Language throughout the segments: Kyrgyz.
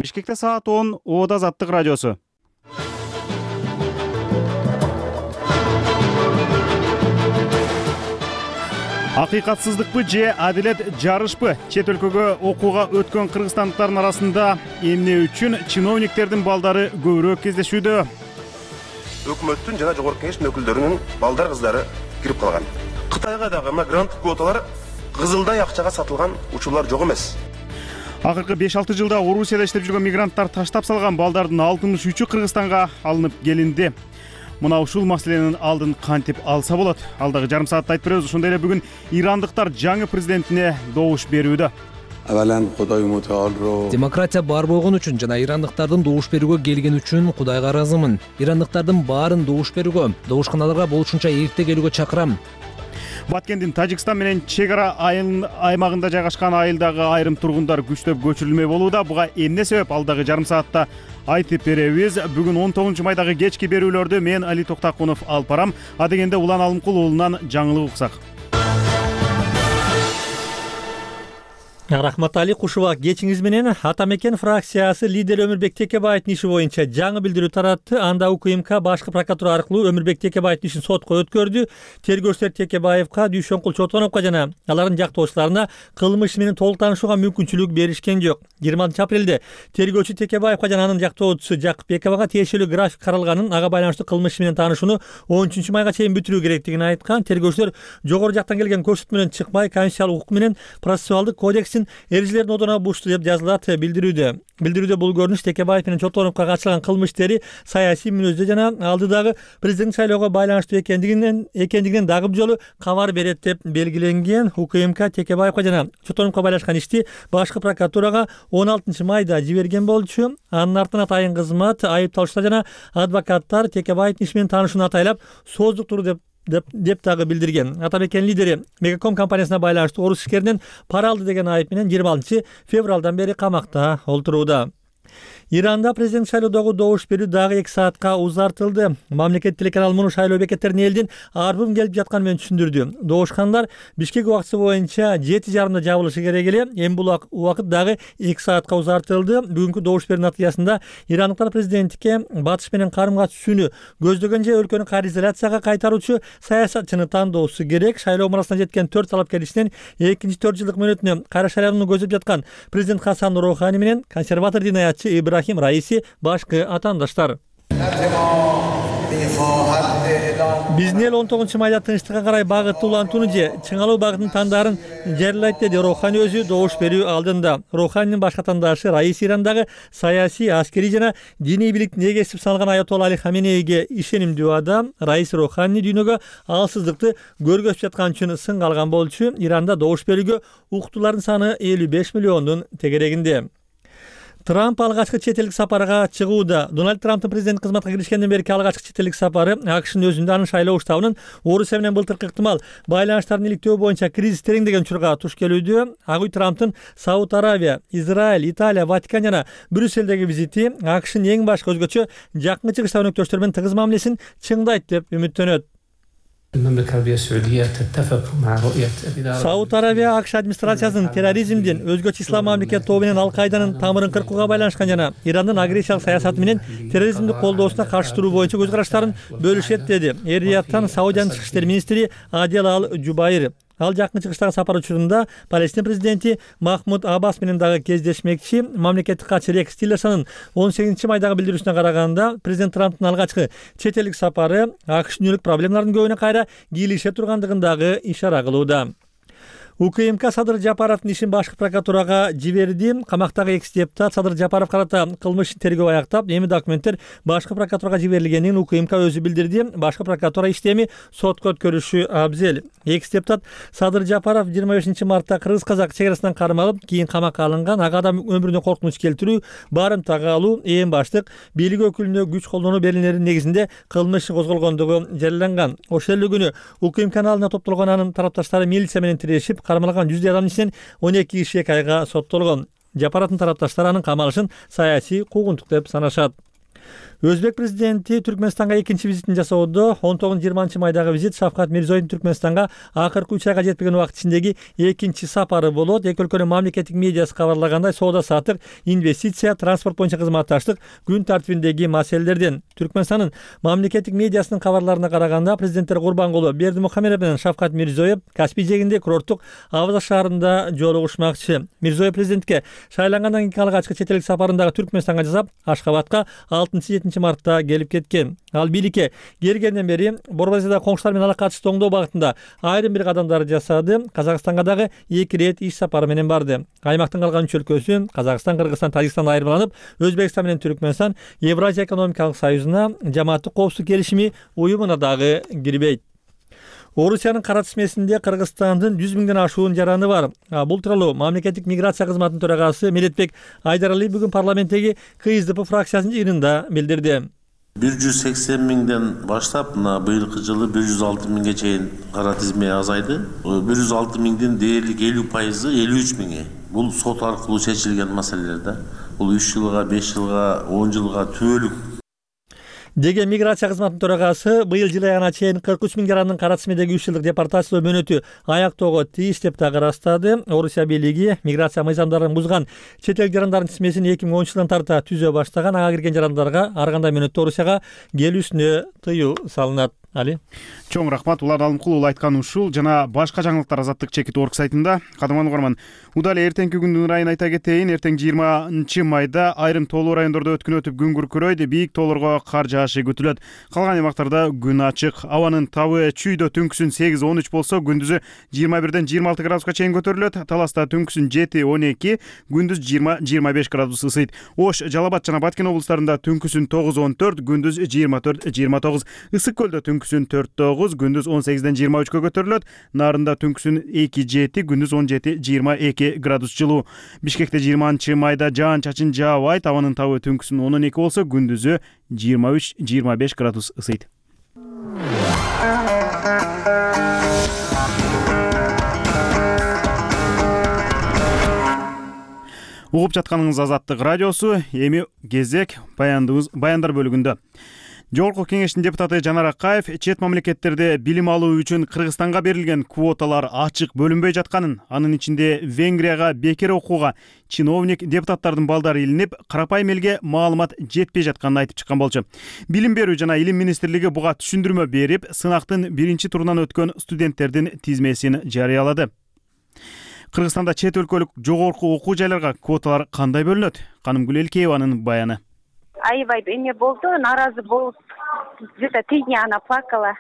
Бишкекте саат 10, Оода Азаттык радиосу. Акыйкатсыздыкпы же адилет жарышпы? Чет өлкөгө окууга өткөн кыргызстандыктардын арасында эмне үчүн чиновниктердин балдары көбүрөөк кездешүүдө? Өкмөттүн жана жогорку кеңештин өкүлдөрүнүн балдар кыздары кирип калган. Кытайга дагы грант квоталар кызылдай акчага сатылган учурлар жок эмес. Акыркы 5-6 жылда Орусияда иштеп жүргөн мигранттар таштап салган балдардын 63-ü Кыргызстанга алынып келинди. Мына ушул маселенин алдын кантип алса болот? Алдагы жарым саатта айтып беребиз. Ошондой эле бүгүн ирандыктар жаңы президентине добуш берүүдө. Демократия бар болгон үчүн жана ирандыктардын добуш берүүгө келген үчүн Кудайга ыраазымын. Ирандыктардын баарын добуш берүүгө, добушканаларга болушунча эрте келүүгө чакырам. Баткендин Тажикстан менен чек ара аймагында жайгашкан айылдагы айрым тургундар күчтөп көчүрүлмөй болууда. Буга эмне себеп? Алдагы жарым саатта айтып беребиз. Бүгүн 19 майдагы кечки берүүлөрдү мен Али Токтакунов алып барам. Адегенде Улан Алымкул уулунан жаңылык уксак. Рахмат Али Кушуба, кечиңиз менен Атамекен фракциясы лидери Өмүрбек Текебаевдин иши боюнча жаңы билдирүү таратты. Анда УКМК башкы прокуратура аркылуу Өмүрбек Текебаевдин ишин сотко өткөрдү. Тергөөчүлөр Текебаевка, Дүйшөнкул Чотоновго жана алардын жактоочуларына кылмыш менен толук таанышууга мүмкүнчүлүк беришкен жок. 26 апрелде тергөөчү Текебаевка жана анын жактоочусу Жакыпбековага тиешелүү график каралганын, ага байланыштуу кылмыш менен таанышууну 13 майга чейин бүтүрүү керектигин айткан. Тергөөчүлөр жогору жактан келген көрсөтмө менен чыкпай, конституциялык укук менен процессуалдык кодекстин эрежелерин одоно бушты деп жазылат билдирүүдө. Билдирүүдө бул көрүнүш Текебаев менен Чотоновго катышкан кылмыш иштери саясий мүнөздө жана алдыдагы президент шайлоого байланыштуу экендигинен дагы бир жолу кабар берет деп белгиленген. УКМК Текебаевга жана Чотоновго байлашкан ишти башкы прокуратурага 16 майда жиберген болчу. Анын артынан атайын кызмат, айыпталуучулар жана адвокаттар Текебаевдин иши менен таанышууну атайлап сооздуктур деп дагы билдирген. Атамекен лидери Мегаком компаниясына байланыштуу орус ишкеринен пара алды деген айып менен 26 февралдан бери камакта олтурууда. Иранда президент шайлоодогу добуш берүү дагы 2 саатка узартылды. Мамлекет телеканалы муну шайлоо бекеттерине элдин арбым келип жатканы менен түшүндүрдү. Добушкандар Бишкек убактысы боюнча 7:30 жабылышы керек эле. Эми бул убакыт дагы 2 саатка узартылды. Бүгүнкү добуш берүү натыйжасында ирандыктар президенттикке батыш менен карым-катыш түзүүнү көздөгөн же өлкөнү кайризоляцияга кайтаруучу саясатчыны тандоосу керек. Шайлоо мурасына жеткен 4 талапкер ичинен экинчи 4 жылдык мөөнөтүнө кайра шайланууну көздөп жаткан президент Хасан Рухани менен консерватор динаятчы Ибрахим Раиси башкы атаандаштар. Биздин эл 19 майда тынчтыкка карай багытты улантууну же чыңалуу багытын тандаарын жарыялайт деди Рухани өзү добуш берүү алдында. Руханинин башкы атаандашы Раиси Ирандагы саясий, аскерий жана диний бийликтин эгеси саналган Аятолла Али Хаменейге ишенимдүү адам. Раиси Рухани дүйнөгө алсыздыкты көргөзүп жаткан үчүн сынга алган болчу. Иранда добуш берүүгө укуктуулардын саны 55 миллиондун тегерегинде. Трамп алгачкы чет элдик сапарга чыгууда. Дональд Трамптын президент кызматка киришкенден берки алгачкы чет элдик сапары АКШнын өзүндө анын шайлоо штабынын Орусия менен былтыркы ыктымал байланыштарын иликтөө боюнча кризис тереңдеген учурга туш келүүдө. Ак үй Трамптын Сауд Аравия, Израиль, Италия, Ватикан жана Брюссельдеги визити АКШнын эң башкы өзгөчө жакын чыгыштагы өнөктөштөр менен тыгыз мамилесин чыңдайт деп үмүттөнөт. Сауд Аравия АКШ администрациясынын терроризмдин, өзгөчө ислам мамлекет тобу менен Ал-Кайданын тамырын кыркууга байланышкан жана Ирандын агрессиялык саясаты менен терроризмди колдоосуна каршы туруу боюнча көз караштарын бөлүшөт деди Эр-Рияттан Саудиянын тышкы иштер министри Адел Ал-Жубайр. Ал жакын чыгыштагы сапар учурунда Палестин президенти Махмуд Аббас менен дагы кездешмекчи. Мамлекеттик катчы Рекс Тиллерсонун 18 майдагы билдирүүсүнө караганда, президент Трамптын алгачкы чет элдик сапары АКШ дүйнөлүк проблемалардын көбүнө кайра кийлише тургандыгын дагы ишара кылууда. УКМК Садыр Жапаровдун ишин башкы прокуратурага жиберди. Камактагы экс депутат Садыр Жапаров карата кылмыш тергөө аяктап, эми документтер башкы прокуратурага жиберилгенин УКМК өзү билдирди. Башкы прокуратура иштеми сотко өткөрүшү абзел. Экс депутат Садыр Жапаров 25 мартта кыргыз-казак чек арасынан кармалып, кийин камакка алынган. Ага адам өмүрүнө коркунуч келтирүү, барымтага алуу, эң баштык бийлик өкүлүнө күч колдонуу берилеринин негизинде кылмыш козголгондугу жарыяланган. Ошол эле күнү УКМК алдына топтолгон анын тарапташтары милиция менен тирешип, кармалган 100 адамдын ичинен 12 киши 2 айга соттолгон. Жапаровдун тарапташтары анын камалышын саясий куугунтук деп санашат. Өзбек президенти Түркмөнстанга экинчи визитин жасоодо 19-20 майдагы визит Шавкат Мирзиёевдун Түркмөнстанга акыркы 3 айга жетпеген убакыт ичиндеги экинчи сапары болот. Эки өлкөнүн мамлекеттик медиасы кабарлагандай, соода саттык, инвестиция, транспорт боюнча кызматташтык күн тартибиндеги маселелерден. Түркмөнстандын мамлекеттик медиасынын кабарларына караганда, президенттер Курбангулы Бердимухамедов менен Шавкат Мирзиёев Каспий жээгинде курорттук Авза шаарында жолугушмакчы. Мирзиёев президентке шайлангандан кийинки алгачкы чет элдик сапарын дагы Түркмөнстанга жасап, Ашхабадка 6-7 мартта келип кеткен. Ал бийликке келгенден бери Борбазияда коңшулар менен ала катышты оңдоо багытында айрым бир кадамдар жасады. Казакстанга дагы 2 рет иш сапары менен барды. Аймактын калган 3 өлкөсү Казакстан, Кыргызстан, Тажикстан айырмаланып, Өзбекстан менен Түркмөнстан Евразия экономикалык союзуна, Жамааттык коопсуздук келишими уюмуна дагы кирбейт. Орусиянын кара тизмесинде Кыргызстандын 100 миңден ашуун жараны бар. Бул тууралуу мамлекеттик миграция кызматынын төрагасы Медетбек Айдаралиев бүгүн парламенттеги КСДП фракциясынын жыйынында билдирди. 180 миңден баштап мына быйылкы жылы 106 миңге чейин кара тизме азайды. 106 миңдин дээрлик 50%, 53 миңи. Бул сот аркылуу чечилген маселелер да. Бул 3 жылга, 5 жылга, 10 жылга түбөлүк деген миграция кызматынын төрагасы быйыл жыл айына чейин 43 миң жарандын кара тизмедеги 3 жылдык депортациялоо мөөнөтү аяктоого тийиш деп дагы ырастады. Орусия бийлиги миграция мыйзамдарын бузган чет эл жарандардын тизмесин 2010 жылдан тарта түзө баштаган. Ага кирген жарандарга ар кандай мөөнөттө Орусияга келүүсүнө тыюу салынат. Али чоң рахмат. Улан Алымкулов айткан ушул жана башка жаңылыктар Азаттык чекит орг сайтында. Кадырман угарман, удале эртеңки күндүн ырайын айта кетейин. Эртең 20 майда айрым тоолуу райондордо өткөн өтүп күн күркүрөйт, бийик тоолорго кар жаашы күтүлөт. Калган аймактарда күн ачык. Абанын табы чүйдө түнкүсүн 8-13 болсо, күндүзү 21-ден 26 градуска чейин көтөрүлөт. Таласта түнкүсүн 7-12, күндүз 20-25 градус ысыйт. Ош, Жалал-Абад жана Баткен облустарында түнкүсүн 9-14, күндүз 24-29. Ысык көлдө түнкүсүн 4-9, күндүз 18-ден 23-кө көтөрүлөт. Нарында түнкүсүн 2-7, күндүз 17-22 градус жылуу. Бишкекте 20 майда жаан-чачын жаабайт. Абанын табы түнкүсүн 12 болсо, күндүзү 23-25 градус ысыйт. Угуп жатканыңыз Азаттык радиосу. Эми кезек баяндар бөлүгүндө. Жогорку кеңештин депутаты Жанар Акаев чет мамлекеттерде билим алуу үчүн Кыргызстанга берилген квоталар ачык бөлүнбөй жатканын, анын ичинде Венгрияга бекер окууга чиновник депутаттардын балдары илинип, карапайым элге маалымат жетпей жатканын айтып чыккан болчу. Билим берүү жана илим министрлиги буга түшүндүрмө берип, сынактын биринчи турунан өткөн студенттердин тизмесин жарыялады. Кыргызстанда чет өлкөлүк жогорку окуу жайларга квоталар кандай бөлүнөт? Канымгүл Элкееванын баяны. Аябай эме болду, нааразы болуп, где-то 3 дня она плакала.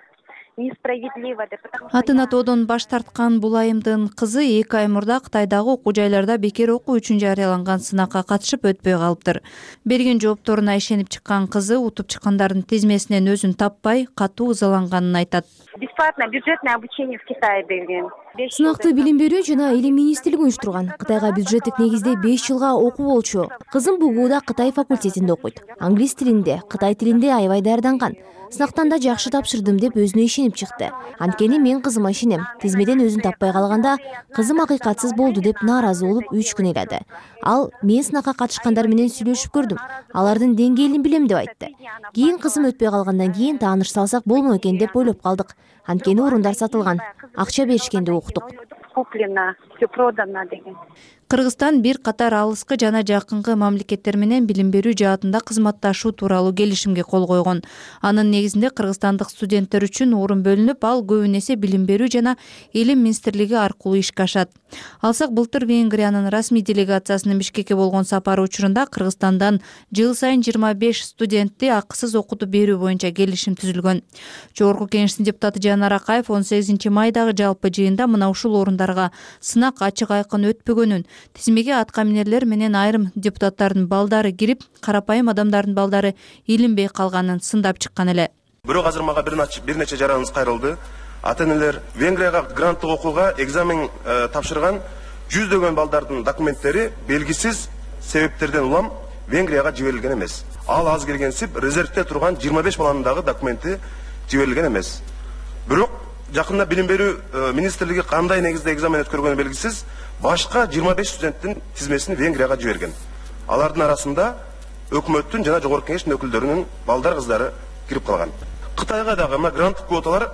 Несправедливо деп. Атын атоодон баш тарткан бул айымдын кызы 2 ай мурда Кытайдагы окуу жайларда бекер окуу үчүн жарыяланган сынакка катышып өтпөй калыптыр. Берген жоопторуна ишенип чыккан кызы утуп чыккандардын тизмесинен өзүн таппай, катуу ызаланганын айтат. Бесплатное бюджетное обучение в Китае берген. Сынакты билим берүү жана илим министрлиги уюштурган. Кытайга бюджеттик негизде 5 жылга окуу болчу. Кызым БГУда Кытай факультетинде окуйт. Англис тилинде, Кытай тилинде аябай даярданган. Сынактан да жакшы тапшырдым деп өзүнө ишенип чыкты. Анткени мен кызыма ишенем. Тизмеден өзүн таппай калганда кызым акыйкатсыз болду деп нааразы болуп 3 күн ыйлады. Ал мен сынакка катышкандар менен сүйлөшүп көрдүм. Алардын деңгээлин билем деп айтты. Кийин кызым өтпөй калгандан кийин тааныш салсак болмок экен деп ойлоп калдык. Анткени орундар сатылган. Акча беришкенди уктук. Куплено, всё продано деген. Кыргызстан бир катар алыскы жана жакынкы мамлекеттер менен билим берүү жаатында кызматташуу тууралуу келишимге кол койгон. Анын негизинде кыргызстандык студенттер үчүн орун бөлүнүп, ал көбүн эсе билим берүү жана илим министрлиги аркылуу ишке ашат. Алсак былтыр Венгриянын расмий делегациясынын Бишкекке болгон сапары учурунда Кыргызстандан жыл сайын 25 студентти акысыз окутуп берүү боюнча келишим түзүлгөн. Жогорку кеңештин депутаты Жанар Акаев 18 майдагы жалпы жыйында мына ушул орундарга сынак ачык айкын өтпөгөнүн, тизмеге аткаминерлер менен айрым депутаттардын балдары кирип, карапайым адамдардын балдары илинбей калганын сындап чыккан эле. Бирок азыр мага бир нече жараныбыз кайрылды. Ата-энелер Венгрияга гранттык окууга экзамен тапшырган жүздөгөн балдардын документтери белгисиз себептерден улам Венгрияга жиберилген эмес. Ал аз келгенсип резервде турган 25 баланын дагы документи жиберилген эмес. Бирок жакында билим берүү министрлиги кандай негизде экзамен өткөргөнү белгисиз башка 25 студенттин тизмесин Венгрияга жиберген. Алардын арасында өкмөттүн жана жогорку кеңештин өкүлдөрүнүн балдар кыздары кирип калган. Кытайга дагы мына гранттык квоталар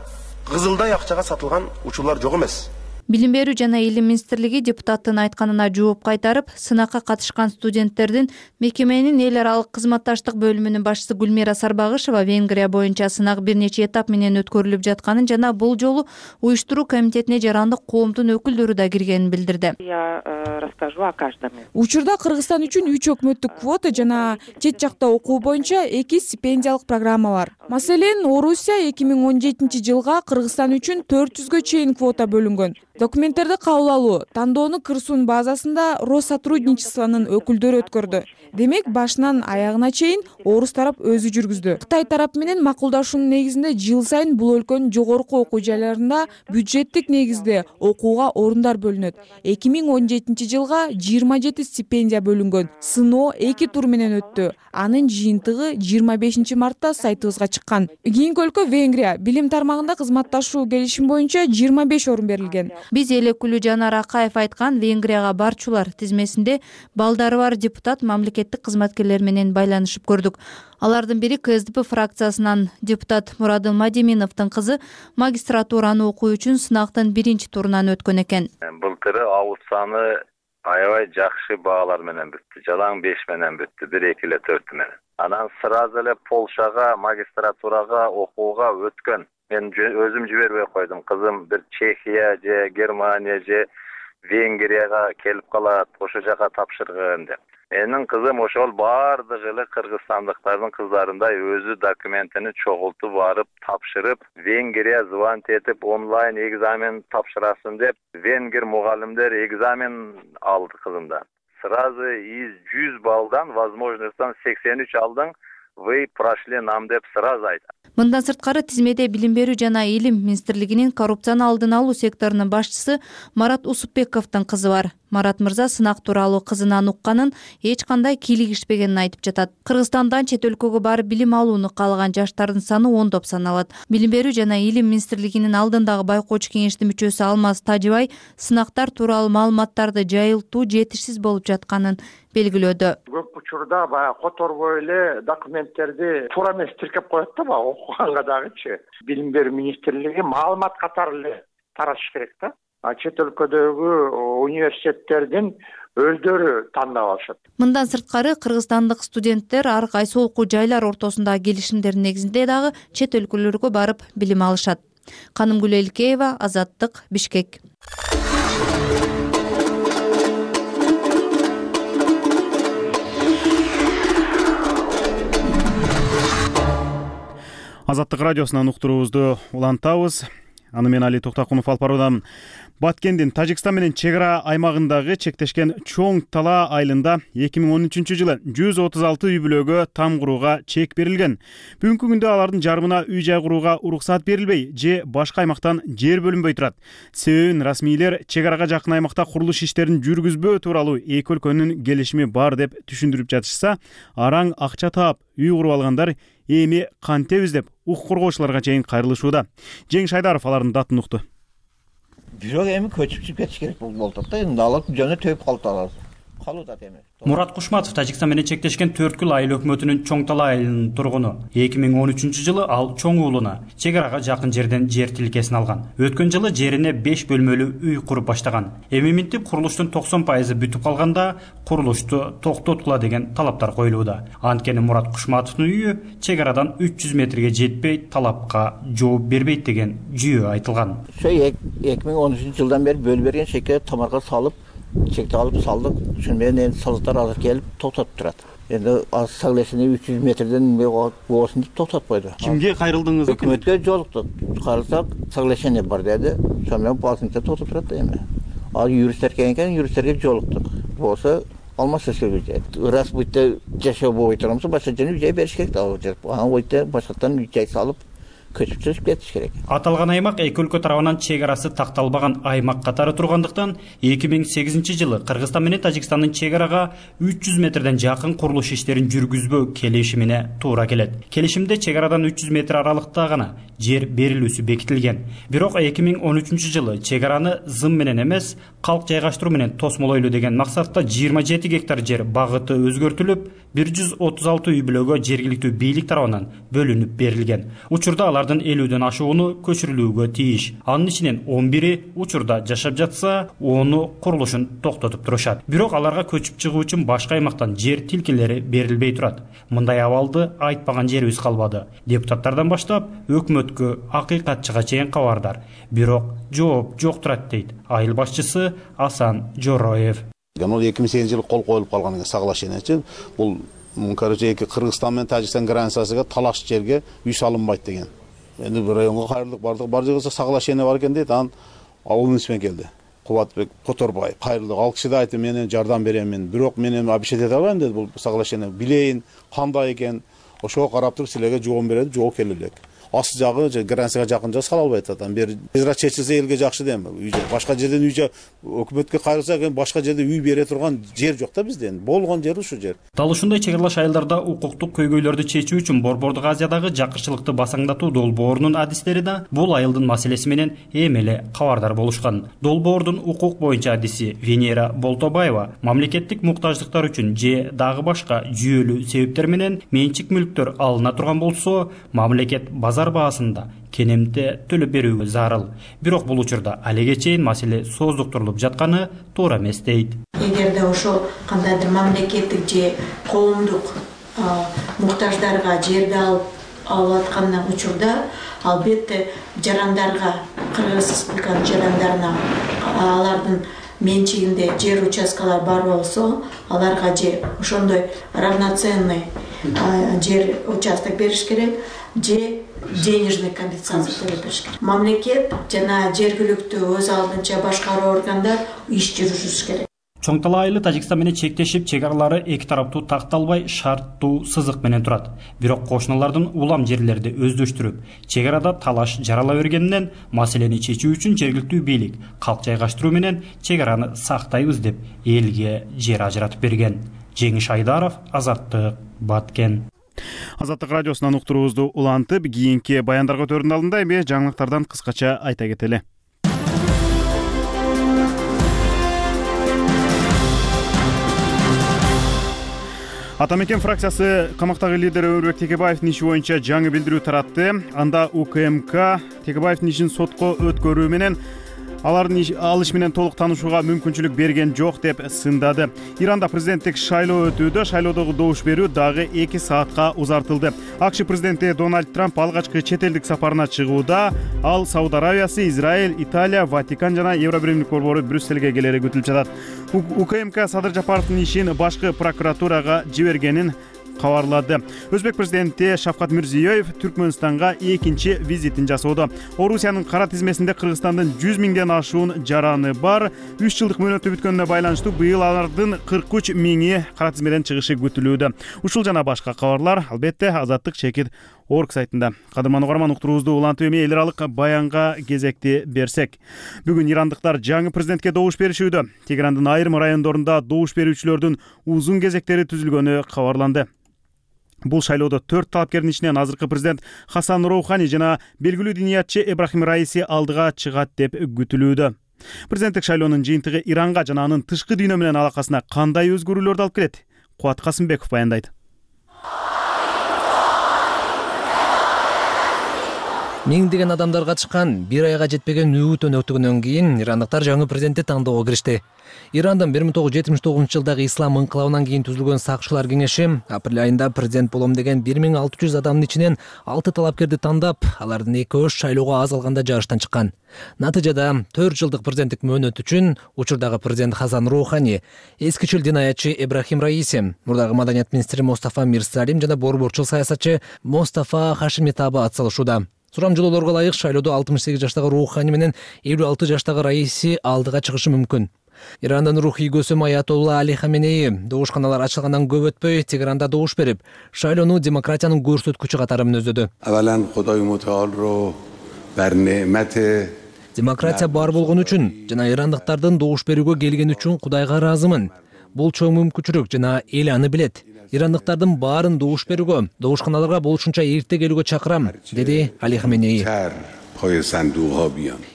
кызылдай акчага сатылган учурлар жок эмес. Билим берүү жана илим министрлиги депутаттын айтканына жооп кайтарып, сынакка катышкан студенттердин мекеменин эл аралык кызматташтык бөлүмүнүн башчысы Гүлмира Сарбагышева Венгрия боюнча сынак бир нече этап менен өткөрүлүп жатканын жана бул жолу уюштуруу комитетине жарандык коомдун өкүлдөрү да киргенин билдирди. Я расскажу о каждом. Учурда Кыргызстан үчүн 3 өкмөттүк квота жана чет жакта окуу боюнча 2 стипендиялык программа бар. Маселен, Орусия 2017 жылга Кыргызстан үчүн 400гө чейин квота бөлүнгөн. Документтерди кабыл алуу, тандоону кырсуунун базасында Россотрудничествонун өкүлдөрү өткөрдү. Демек, башынан аягына чейин орус тарап өзү жүргүздү. Кытай тарап менен макулдашуунун негизинде жыл сайын бул өлкөнүн жогорку окуу жайларында бюджеттик негизде окууга орундар бөлүнөт. 2017 жылга 27 стипендия бөлүнгөн. Сыноо 2 тур менен өттү. Анын жыйынтыгы 25 мартта сайтыбызга чыккан. Кийинки өлкө Венгрия. Билим тармагында кызматташуу келишим боюнча 25 орун берилген. Биз эл өкүлү Жанар Акаев айткан Венгрияга барчулар тизмесинде балдары бар депутат мамлекеттик кызматкерлер менен байланышып көрдүк. Алардын бири КСДП фракциясынан депутат Мурадыл Мадиминовдун кызы магистратураны окуу үчүн сынактын 1 турунан өткөн экен. Былтыры аут саны аябай жакшы баалар менен бүттү. Жалаң 5 менен бүттү, 1-2 эле 4 менен. Анан сразу эле Полшага магистратурага окууга өткөн. Мен өзүм жибербей койдум. Кызым бир Чехия же Германия же Венгрияга келип калат, ошо жака тапшыргын деп. Менин кызым ошол баардыгы эле кыргызстандыктардын кыздарындай өзү документини чогултуп барып тапшырып, Венгрия звонить этип онлайн экзамен тапшырасын деп, венгер мугалимдер экзамен алды кызымдан. Сразу из 100 баллдан возможностьтан 83 алдың, вы прошли нам деп сразу айтат. Мындан сырткары тизмеде Билим берүү жана илим министрлигинин коррупцияны алдын алуу секторунун башчысы Марат Усупбековдун кызы бар. Марат мырза сынак тууралуу кызынан укканын эч кандай кийлигишпегенин айтып жатат. Кыргызстандан чет өлкөгө барып билим алууну каалаган жаштардын саны ондоп саналат. Билим берүү жана илим министрлигинин алдындагы байкоочу кеңештин мүчөсү Алмаз Тажыбай сынактар тууралуу маалыматтарды жайылтуу жетишсиз болуп жатканын белгилөөдө. Көп учурда баягы которбой эле документтерди туура эмес тиркеп коет да, баягы окуганга дагычы. Билим берүү министрлиги маалымат катары эле таратыш керек да. Чет өлкөдөгү университеттердин өздөрү тандап алышат. Мындан сырткары кыргызстандык студенттер ар кайсы окуу жайлар ортосундагы келишимдердин негизинде дагы чет өлкөлөргө барып билим алышат. Канымгүл Элкеева, Азаттык, Бишкек. Азаттык радиосунан уктуруубузду улантабыз. Аны мен Али Токтакунов алып баруудамын. Баткендин Тажикстан менен чек ара аймагындагы чектешкен Чоң Тала айылында 2013 жылы 136 үй бүлөгө там курууга чек берилген. Бүгүнкү күндө алардын жарымына үй жай курууга уруксат берилбей же башка аймактан жер бөлүнбөй турат. Себебин расмийлер чек арага жакын аймакта курулуш иштерин жүргүзбөө тууралуу эки өлкөнүн келишими бар деп түшүндүрүп жатышса, араң акча таап үй куруп алгандар эми кантебиз деп укук коргоочуларга чейин кайрылышууда. Жеңиш Айдаров алардын датын укту. Бирок эми көчүп кетиш керек болуп атат да. Эми алар жана төп калталар. Калууда эми. Мурат Кушматов Тажикстан менен чектешкен 4 күл айыл өкмөтүнүн Чоң Тала айылынын тургуну. 2013 жылы ал Чоң уулуна чек арага жакын жерден жер тилкесин алган. Өткөн жылы жерине 5 бөлмөлүү үй куруп баштаган. Эми минтип курулуштун 90% бүтүп калганда курулушту токтоткула деген талаптар коюлууда. Анткени Мурат Кушматовдун үйү чек арадан 300 метрге жетпей талапка жооп бербейт деген жүйө айтылган. Ошо 2013 жылдан бери бөлүп берген чекке тамарга салып чекти алып салдык. Ошон менен саздар азыр келип токтотуп турат. Эndi соглашение 300 метрден болсун деп токтотуп койду. Кимге кайрылдыңыз? Өкмөткө жолуктук. Кайрылсак, соглашение бар деди. Ошон менен басынча токтотуп турат эми. Ал юристтер келген, юристтерге жолуктук. Болсо алмаса сөйлөйт. Раз бутта жашоо болбой турганбыз, башка жерге жай бериш керек да. Аны ойта башкаттан жай салып көчүп чыгып кетиш керек. Аталган аймак эки өлкө тарабынан чек арасы такталбаган аймак катары тургандыктан 2008 жылы Кыргызстан менен Тажикстандын чек арага 300 метрден жакын курулуш иштерин жүргүзбөө келишимине туура келет. Келишимде чек арадан 300 метр аралыкта гана жер берилүүсү бекитилген. Бирок 2013 жылы чек араны зым менен эмес, калк жайгаштыруу менен тосмолойлу деген максатта 27 гектар жер багыты өзгөртүлүп, 136 үй бүлөгө жергиликтүү бийлик тарабынан бөлүнүп берилген. Учурда алардын 50ден ашууну көчүрүлүүгө тийиш. Анын ичинен 11 учурда жашап жатса, 10 курулушун токтотуп турушат. Бирок аларга көчүп чыгуу үчүн башка аймактан жер тилкелери берилбей турат. Мындай абалды айтпаган жерибиз калбады. Депутаттардан баштап өкмөткө, акыйкатчыга чейин кабардар. Бирок жооп жок турат дейт айыл башчысы Асан Жороев. 2008 жылы кол коюлуп калган соглашениечи бул короче Кыргызстан менен Тажикстан границасыга талаш жерге үй салынбайт деген. Эми бир районго кайрылдык бардык, бар жерге соглашение бар экен дейт. Анан ауылмусмен келди. Кубатбек Которбаев кайрылдык. Ал киши да айтты, мен жардам берем, бирок мен эми обещать эте албайм деди. Бул соглашение билейин, кандай экен, ошого карап туруп силерге жооп берет, жооп келе элек. Асы жагы границага жакын жер сала албайт атам. Бери тезирээк чечилсе элге жакшы дейм. Башка жерден үй өкмөткө кайрылса, башка жерде үй бере турган жер жок да бизде. Болгон жер ушу жер. Дал ушундай чек аралаш айылдарда укуктук көйгөйлөрдү чечүү үчүн Борбордук Азиядагы жакырчылыкты басаңдатуу долбоорунун адистери да бул айылдын маселеси менен эми эле кабардар болушкан. Долбоордун укук боюнча адиси Венера Болтобаева мамлекеттик муктаждыктар үчүн же дагы башка жүйөлүү себептер менен менчик мүлктөр алына турган болсо, мамлекет базар баасында кенемте төлөп берүүгө зарыл. Бирок бул учурда алеге чейин маселе сооздуктурулуп жатканы туура эмес дейт. Эгерде ошол кандайдыр мамлекеттик же коомдук муктаждарга жерди алып аткандан учурда, албетте жарандарга, Кыргыз Республиканын жарандарына алардын менчигинде жер участкалар бар болсо, аларга же ошондой равноценный жер участок бериш керек, же денежный компенсация төлөп бериш керек. Мамлекет жана жергиликтүү өз алдынча башкаруу органдар иш жүргүзүш керек. Чоң Тала айылы Тажикстан менен чектешип, чек аралары эки тараптуу такталбай шарттуу сызык менен турат. Бирок кошуналардын улам жерлерди өздөштүрүп, чек арада талаш жарала бергенинен маселени чечүү үчүн жергиликтүү бийлик калк жайгаштыруу менен чек араны сактайбыз деп элге жер ажыратып берген. Жеңиш Айдаров, Азаттык, Баткен. Азаттык радиосунан уктуруубузду улантып, кийинки баяндарга өтөрдүн алдында эми жаңылыктардан кыскача айта кетели. Ата мекен фракциясы камактагы лидери Өмүрбек Текебаевдин иши боюнча жаңы билдирүү таратты. Анда УКМК Текебаевдин ишин сотко өткөрүү менен алардын алыш менен толук таанышууга мүмкүнчүлүк берген жок деп сындады. Иранда президенттик шайлоо өтүүдө, шайлоодогу добуш берүү дагы 2 саатка узартылды. АКШ президенти Дональд Трамп алгачкы чет элдик сапарына чыгууда ал Сауд Аравиясы, Израиль, Италия, Ватикан жана Евробиримдик борбору Брюссельге келери күтүлүп жатат. УКМК Садыр Жапаровдун ишин башкы прокуратурага жибергенин кабарлады. Өзбек президенти Шавкат Мирзиёев Түркмөнстанга экинчи визитин жасоодо. Орусиянын кара тизмесинде Кыргызстандын 100 миңден ашуун жараны бар. 3 жылдык мөөнөтү бүткөнүнө байланыштуу быйыл алардын 43 миңи кара тизмеден чыгышы күтүлүүдө. Ушул жана башка кабарлар албетте Азаттык чекит орг сайтында. Кадырман угарман, уктуруубузду улантып эми эл аралык баянга кезекти берсек. Бүгүн ирандыктар жаңы президентке добуш беришүүдө. Тегерандын айрым райондорунда добуш берүүчүлөрдүн узун кезектери түзүлгөнү кабарланды. Бул шайлоодо 4 талапкердин ичинен азыркы президент Хасан Роухани жана белгилүү диниятчы Эбрахим Раиси алдыга чыгат деп күтүлүүдө. Президенттик шайлоонун жыйынтыгы Иранга жана анын тышкы дүйнө менен алакасына кандай өзгөрүүлөрдү алып келет? Кубат Касымбеков баяндайт. Миңдеген адамдарга чыккан, бир айга жетпеген үгүт өнөктөгөндөн кийин ирандыктар жаңы президентти тандоого киришти. Ирандын 1979 жылдагы ислам инкылабынан кийин түзүлгөн сакчылар кеңеши апрель айында президент болом деген 1600 адамдын ичинен 6 талапкерди тандап, алардын экөөш шайлоого аз калганда жарыштан чыккан. Натыйжада 4 жылдык президенттик мөөнөт үчүн учурдагы президент Хасан Роухани, эскичил динаятчы Эбрахим Раиси, мурдагы маданият министри Мустафа Мирсалим жана борборчул саясатчы Мустафа Хашимитаба атсалышууда. Сурамжылоолорго ылайык шайлоодо 68 жаштагы Роухани менен 56 жаштагы Раиси алдыга чыгышы мүмкүн. Ирандын рухий көсөм Аятолла Али Хаменеи добушканалар ачылгандан көп өтпөй Тегеранда добуш берип, шайлоону демократиянын көрсөткүчү катары мүнөздөдү. Демократия бар болгон үчүн жана ирандыктардын добуш берүүгө келгени үчүн Кудайга ыраазымын. Бул чоң мүмкүнчүлүк жана эл аны билет. Ирандыктардын баарын добуш берүүгө, добушканаларга болушунча эрте келүүгө чакырам, деди Али Хаменеи.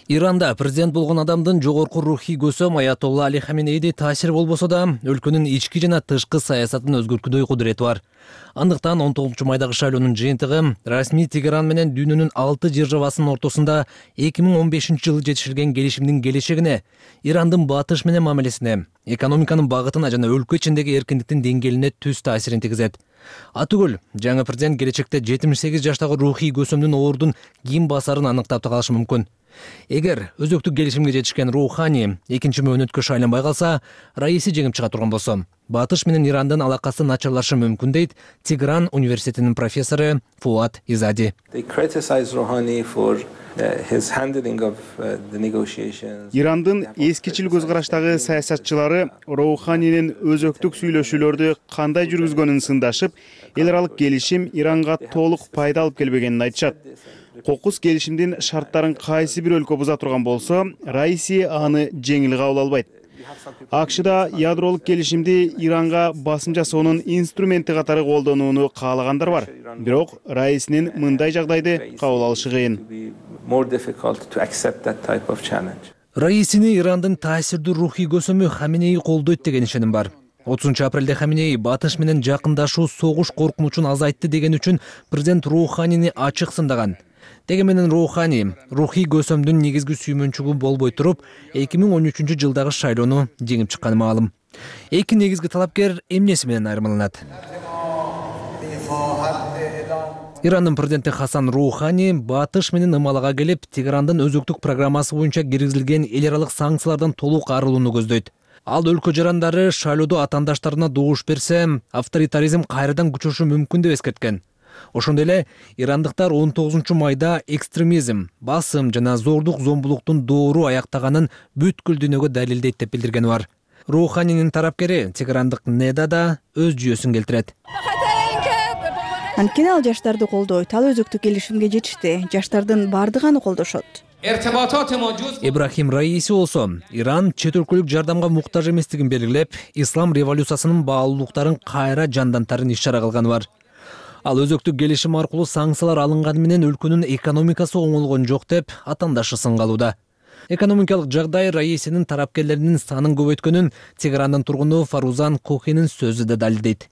Иранда президент болгон адамдын жогорку рухий көсөм Аятолла Али Хаменейди таасири болбосо да, өлкөнүн ички жана тышкы саясатын өзгөрткүдөй кудурети бар. Андыктан 19-майдагы шайлоонун жыйынтыгы расмий Тегеран менен дүйнөнүн 6 державасынын ортосунда 2015-жылы жетишилген келишимдин келечегине, Ирандын батыш менен мамилесине, экономиканын багытына жана өлкө ичиндеги эркиндиктин деңгээлине түз таасирин тийгизет. Атүгүл, жаңы президент келечекте 78 жаштагы рухий көсөмдүн оордун ким басарын аныктап калышы мүмкүн. Эгер өзөктүк келишимге жетишкен Роухани экинчи мөөнөткө шайланбай калса, раиси жеңип чыга турган болсо, батыш менен Ирандын алакасы начарлашы мүмкүн дейт Тегеран университетинин профессору Фуат Изади. Ирандын эскичил көз караштагы саясатчылары Роуханинин өзөктүк сүйлөшүүлөрдү кандай жүргүзгөнүн сындашып, эл аралык келишим Иранга толук пайда алып келбегенин айтышат. Кокус келишимдин шарттарын кайсы бир өлкө буза турган болсо, раиси аны жеңил кабыл албайт. АКШда ядролук келишимди Иранга басым жасоонун инструменти катары колдонууну каалагандар бар. Бирок раисинин мындай жагдайды кабыл алышы кыйын. Раисини Ирандын таасирдүү рухий көсөмү Хаменеи колдойт деген ишеним бар. 30-апрелде Хаменеи батыш менен жакындашуу согуш коркунучун азайтты деген үчүн президент Роуханини ачык сындаган. Деги менен Роухани рухий көсөмдүн негизги сүймөнчүгү болбой туруп, 2013-жылдагы шайлоону жеңип чыкканы маалым. Эки негизги талапкер эмнеси менен айырмаланат? Ирандын президенти Хасан Роухани батыш менен ымалага келип, Тегерандын өзөктүк программасы боюнча киргизилген эл аралык санкциялардан толук арылууну көздөйт. Ал өлкө жарандары шайлоодо атаандаштарына добуш берсе, авторитаризм кайрадан күчөшү мүмкүн деп эскерткен. Ошондой эле ирандыктар 19-майда экстремизм, басым жана зордук-зомбулуктун доору аяктаганын бүткүл дүйнөгө далилдейт деп билдиргени бар. Роуханинин тарапкери Тегерандык Неда да өз жүйөсүн келтирет. Анткени ал жаштарды колдойт, ал өзөктүк келишимге жетишти, жаштардын бардыгы аны колдошот. Ибрахим Раиси болсо, Иран чет өлкөлүк жардамга муктаж эместигин белгилеп, ислам революциясынын баалуулуктарын кайра жандантарын иш-чара кылганы бар. Ал өзөктүк келишим аркылуу санкциялар алынганы менен өлкөнүн экономикасы оңолгон жок деп атаандашы сынгалууда. Экономикалык жагдай раисинин тарапкерлеринин санын көбөйткөнүн Тегерандын тургуну Фарузан Кохинин сөзү да далилдейт.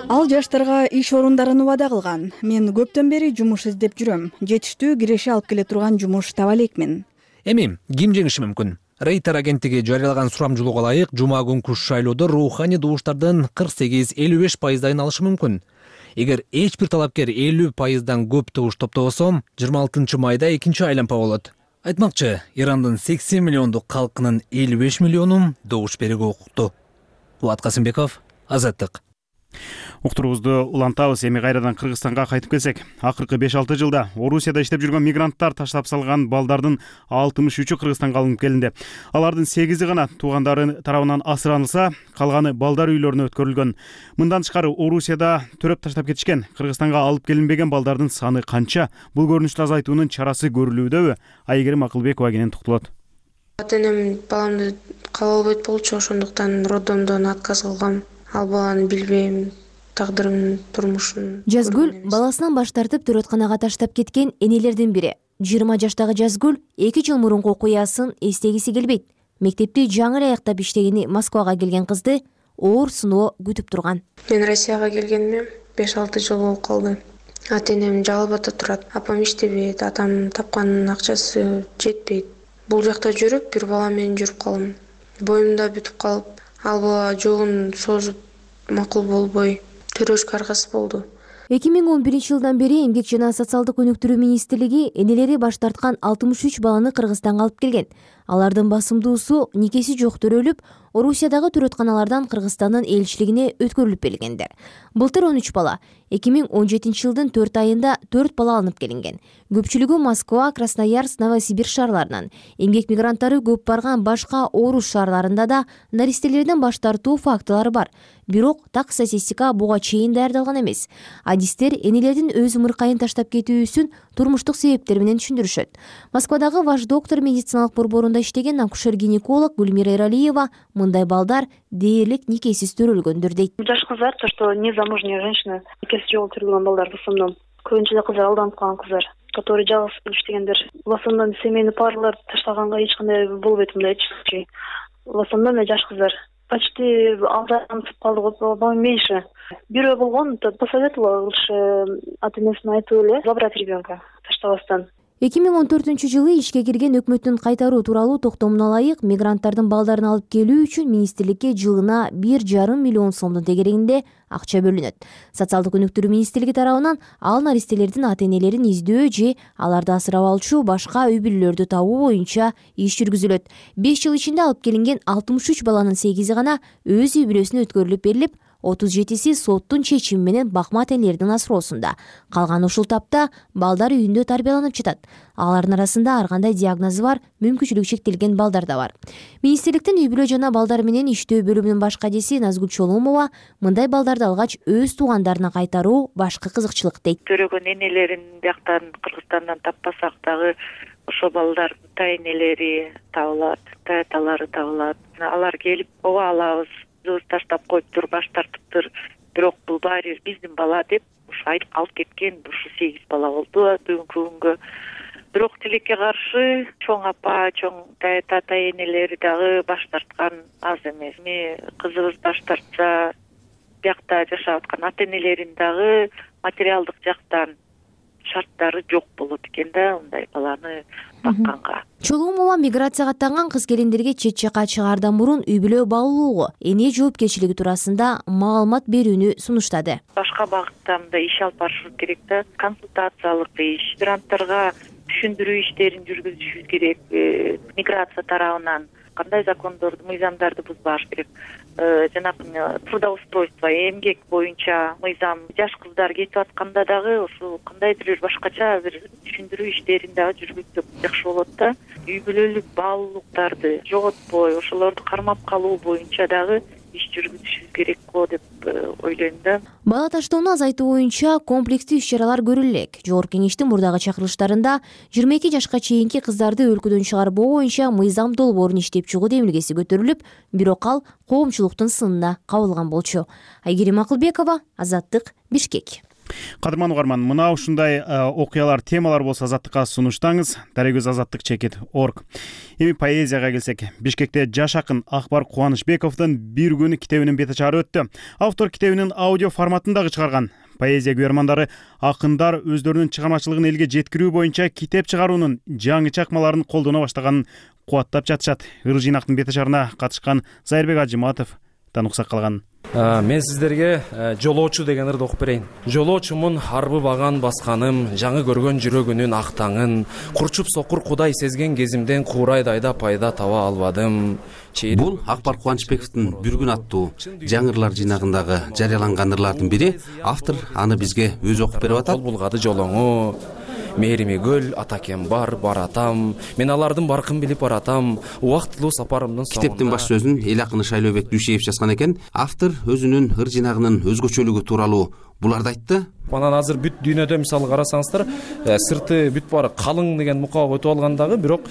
Ал жаштарга иш орундарын убада кылган. Мен көптөн бери жумуш издеп жүрөм. Жетиштүү киреше алып келе турган жумуш таба элекмин. Эми ким жеңиши мүмкүн? Рейтер агенттиги жарыялаган сурамжылоого ылайык, жума күнкү шайлоодо Роухани добуштардын 48-55% алышы мүмкүн. Эгер эч бир талапкер 50%дан көп добуш топтобосо, 26-майда экинчи айлампа болот. Айтмакчы, Ирандын 80 миллиондук калкынын 55 миллиону добуш берүүгө укуктуу. Кубат Касымбеков, Азаттык. Уктуруубузду улантабыз. Эми кайрадан Кыргызстанга кайтып келсек, акыркы 5-6 жылда Орусияда иштеп жүргөн мигранттар таштап салган балдардын 63-ü Кыргызстанга алынып келинди. Алардын 8-и гана туугандары тарабынан асыранылса, калганы балдар үйлөрүнө өткөрүлгөн. Мындан тышкары Орусияда төрөп таштап кетишкен, Кыргызстанга алып келинбеген балдардын саны канча? Бул көрүнүштү азайтуунун чарасы көрүлүүдөбү? Айгерим Акылбекова кенен токтолот. Ата-энем баламды кабыл албайт болчу, ошондуктан роддомдон отказ кылгам. Ал баланы билбейм, тагдырын, турмушун. Жазгүл баласынан баш тартып төрөтканага таштап кеткен энелердин бири. 20 жаштагы Жазгүл 2 жыл мурунку окуясын эстегиси келбейт. Мектепти жаңы эле аяктап иштегени Москвага келген кызды оор сыноо күтүп турган. Мен Россияга келгениме 5-6 жыл болуп калды. Ата-энем Жалал Абадта турат. Апам иштебейт, атам тапкан акчасы жетпейт. Бул жакта жүрүп, бир бала менен жүрүп калдым. Боюмда бүтүп калып, ал бала жогун созуп макул болбой, төрөшкө аргасыз болду. 2011 жылдан бери Эмгек жана социалдык өнүктүрүү министрлиги энелери баш тарткан 63 баланы Кыргызстанга алып келген. Алардын басымдуусу никеси жок төрөлүп, Орусиядагы төрөтканалардан Кыргызстандын элчилигине өткөрүлүп берилгендер. Былтыр 13 бала, 2017 жылдын 4 айында 4 бала алынып келинген. Көпчүлүгү Москва, Красноярск, Новосибирск шаарларынан. Эмгек мигранттары көп барган башка Орус шаарларында да наристелерден баш тартуу фактылары бар. Бирок так статистика буга чейин даярдалган эмес. Адистер энелердин өз ымыркайын таштап кетүүсүн турмуштук себептер менен түшүндүрүшөт. Москвадагы Ваш доктор медициналык борборунда иштеген акушер-гинеколог Гүлмира Эралиева мындай балдар дээрлик никесиз төрөлгөндүр дейт. Жаш кыздар, то что незамужняя женщина, никеси жок төрөлгөн балдар в основном. Көбүнчө кыздар алданып калган кыздар, которые жалгыз иштегендер. В основном семейный парлар таштаганга эч кандай болбойт мындай случай. В основном жаш кыздар. Почти алданып калды, меньше. Бирөө болгон, посоветовала лучше ата-энесине айтып эле забрать ребенка таштабастан. 2014 жылы ишке кирген өкмөттүн кайтаруу тууралуу токтомуна ылайык мигранттардын балдарын алып келүү үчүн министрликке жылына 1,5 миллион сомдун тегерегинде акча бөлүнөт. Социалдык өнүктүрүү министрлиги тарабынан ал наристелердин ата-энелерин издөө же аларды асырап алчу башка үй бүлөлөрдү табуу боюнча иш жүргүзүлөт. 5 жыл ичинде алып келинген 63 баланын 8-и гана өз үй бүлөсүнө өткөрүлүп берилип, 37-си соттун чечими менен бакма ата-энелердин асыроосунда. Калган ушул тапта балдар үйүндө тарбияланып жатат. Алардын арасында ар кандай диагнозу бар, мүмкүнчүлүгү чектелген балдар да бар. Министрликтин үй бүлө жана балдар менен иштөө бөлүмүнүн башкадеси Назгүл Чоломова мындай балдарды алгач өз туугандарына кайтаруу башкы кызыкчылык дейт. Төрөгөн энелерин бияктан Кыргызстандан таппасак дагы ошо балдар та-энелери табылат, та-аталары табылат. Алар келип, ооба алабыз, таштап коюптур, баш тартыптыр, бирок бул баары биздин бала деп ушу айтып алып кеткен. Ушу 8 бала болду бүгүнкү күнгө. Бирок тилекке каршы чоң апа, чоң та-энелери дагы баш тарткан аз эмес. Кызыбыз баш тартса, биякта жашап аткан ата-энелерин дагы материалдык жактан шарттары жок болот экен да, мындай баланы бакканга. Чоломова миграцияга аттанган кыз-келиндерге чет жакка чыгаардан мурун үй бүлө баалоого, эне жоопкерчилиги туурасында маалымат берүүнү сунуштады. Башка багытта мындай иш алып барышыбыз керек да, консультациялык иш, мигранттарга түшүндүрүү иштерин жүргүзүшүбүз керек. Миграция тарабынан кандай закондорду, мыйзамдарды бузбаш керек. Жанагы трудоустройство, эмгек боюнча мыйзам, жаш кыздар кетип атканда дагы ошо кандайдыр бир башкача бир түшүндүрүү иштерин дагы жүргүзсөк жакшы болот да. Үй бүлөлүк баалуулуктарды жоготпой, ошолорду кармап калуу боюнча дагы иш жүргүзүшүбүз керек го деп ойлойм да. Бала таштоону азайтуу боюнча комплекстүү иш-чаралар көрүлө элек. Жогорку кеңештин мурдагы чакырылыштарында 22 жашка чейинки кыздарды өлкөдөн чыгарбоо боюнча мыйзам долбоорун иштеп чыгуу демилгеси көтөрүлүп, бирок ал коомчулуктун сынына кабылган болчу. Айгерим Акылбекова, Азаттык, Бишкек. Кадырман угарман, мына ушундай окуялар, темалар болсо Азаттыкка сунуштаңыз. Дарегөз azattik.org. Эми поэзияга келсек, Бишкекте жаш акын Акбар Кубанычбековдун «Бир күн» китебинин бет ачары өттү. Автор китебинин аудио форматындагы чыгарган. Поэзия көрөрмандары акындар өздөрүнүн чыгармачылыгын элге жеткирүү боюнча китеп чыгаруунун жаңы чакмаларын колдоно баштаганын кубаттап жатышат. Ыр жыйнактын бет ачарына катышкан Зайырбек Ажыматовдон уксак калган. Мен сиздерге жолоочу деген ырды окуп берейин. Жолоочумун арбы баган басканым, жаңы көргөн жүрөгүнүн актаңын, курчуп сокур кудай сезген кезимден куурайдайда пайда таба албадым. Бул Акбар Кубанычбековдун «Бир күн» аттуу жаңы ырлар жыйнагындагы жарыяланган ырлардын бири. Автор аны бизге өзү окуп берип атат. Булгады жолоңу, мээрими көл, атакем бар атам, мен алардын баркын билип баратам, убактылуу сапарымдын соңунда. Китептин баш сөзүн эл акыны Шайлообек Дүйшеев жазган экен. Автор өзүнүн ыр жыйнагынын өзгөчөлүгү тууралуу буларды айтты. Анан азыр бүт дүйнөдө мисалы карасаңыздар, сырты бүт баары калың деген мукабы өтүп алгандагы, бирок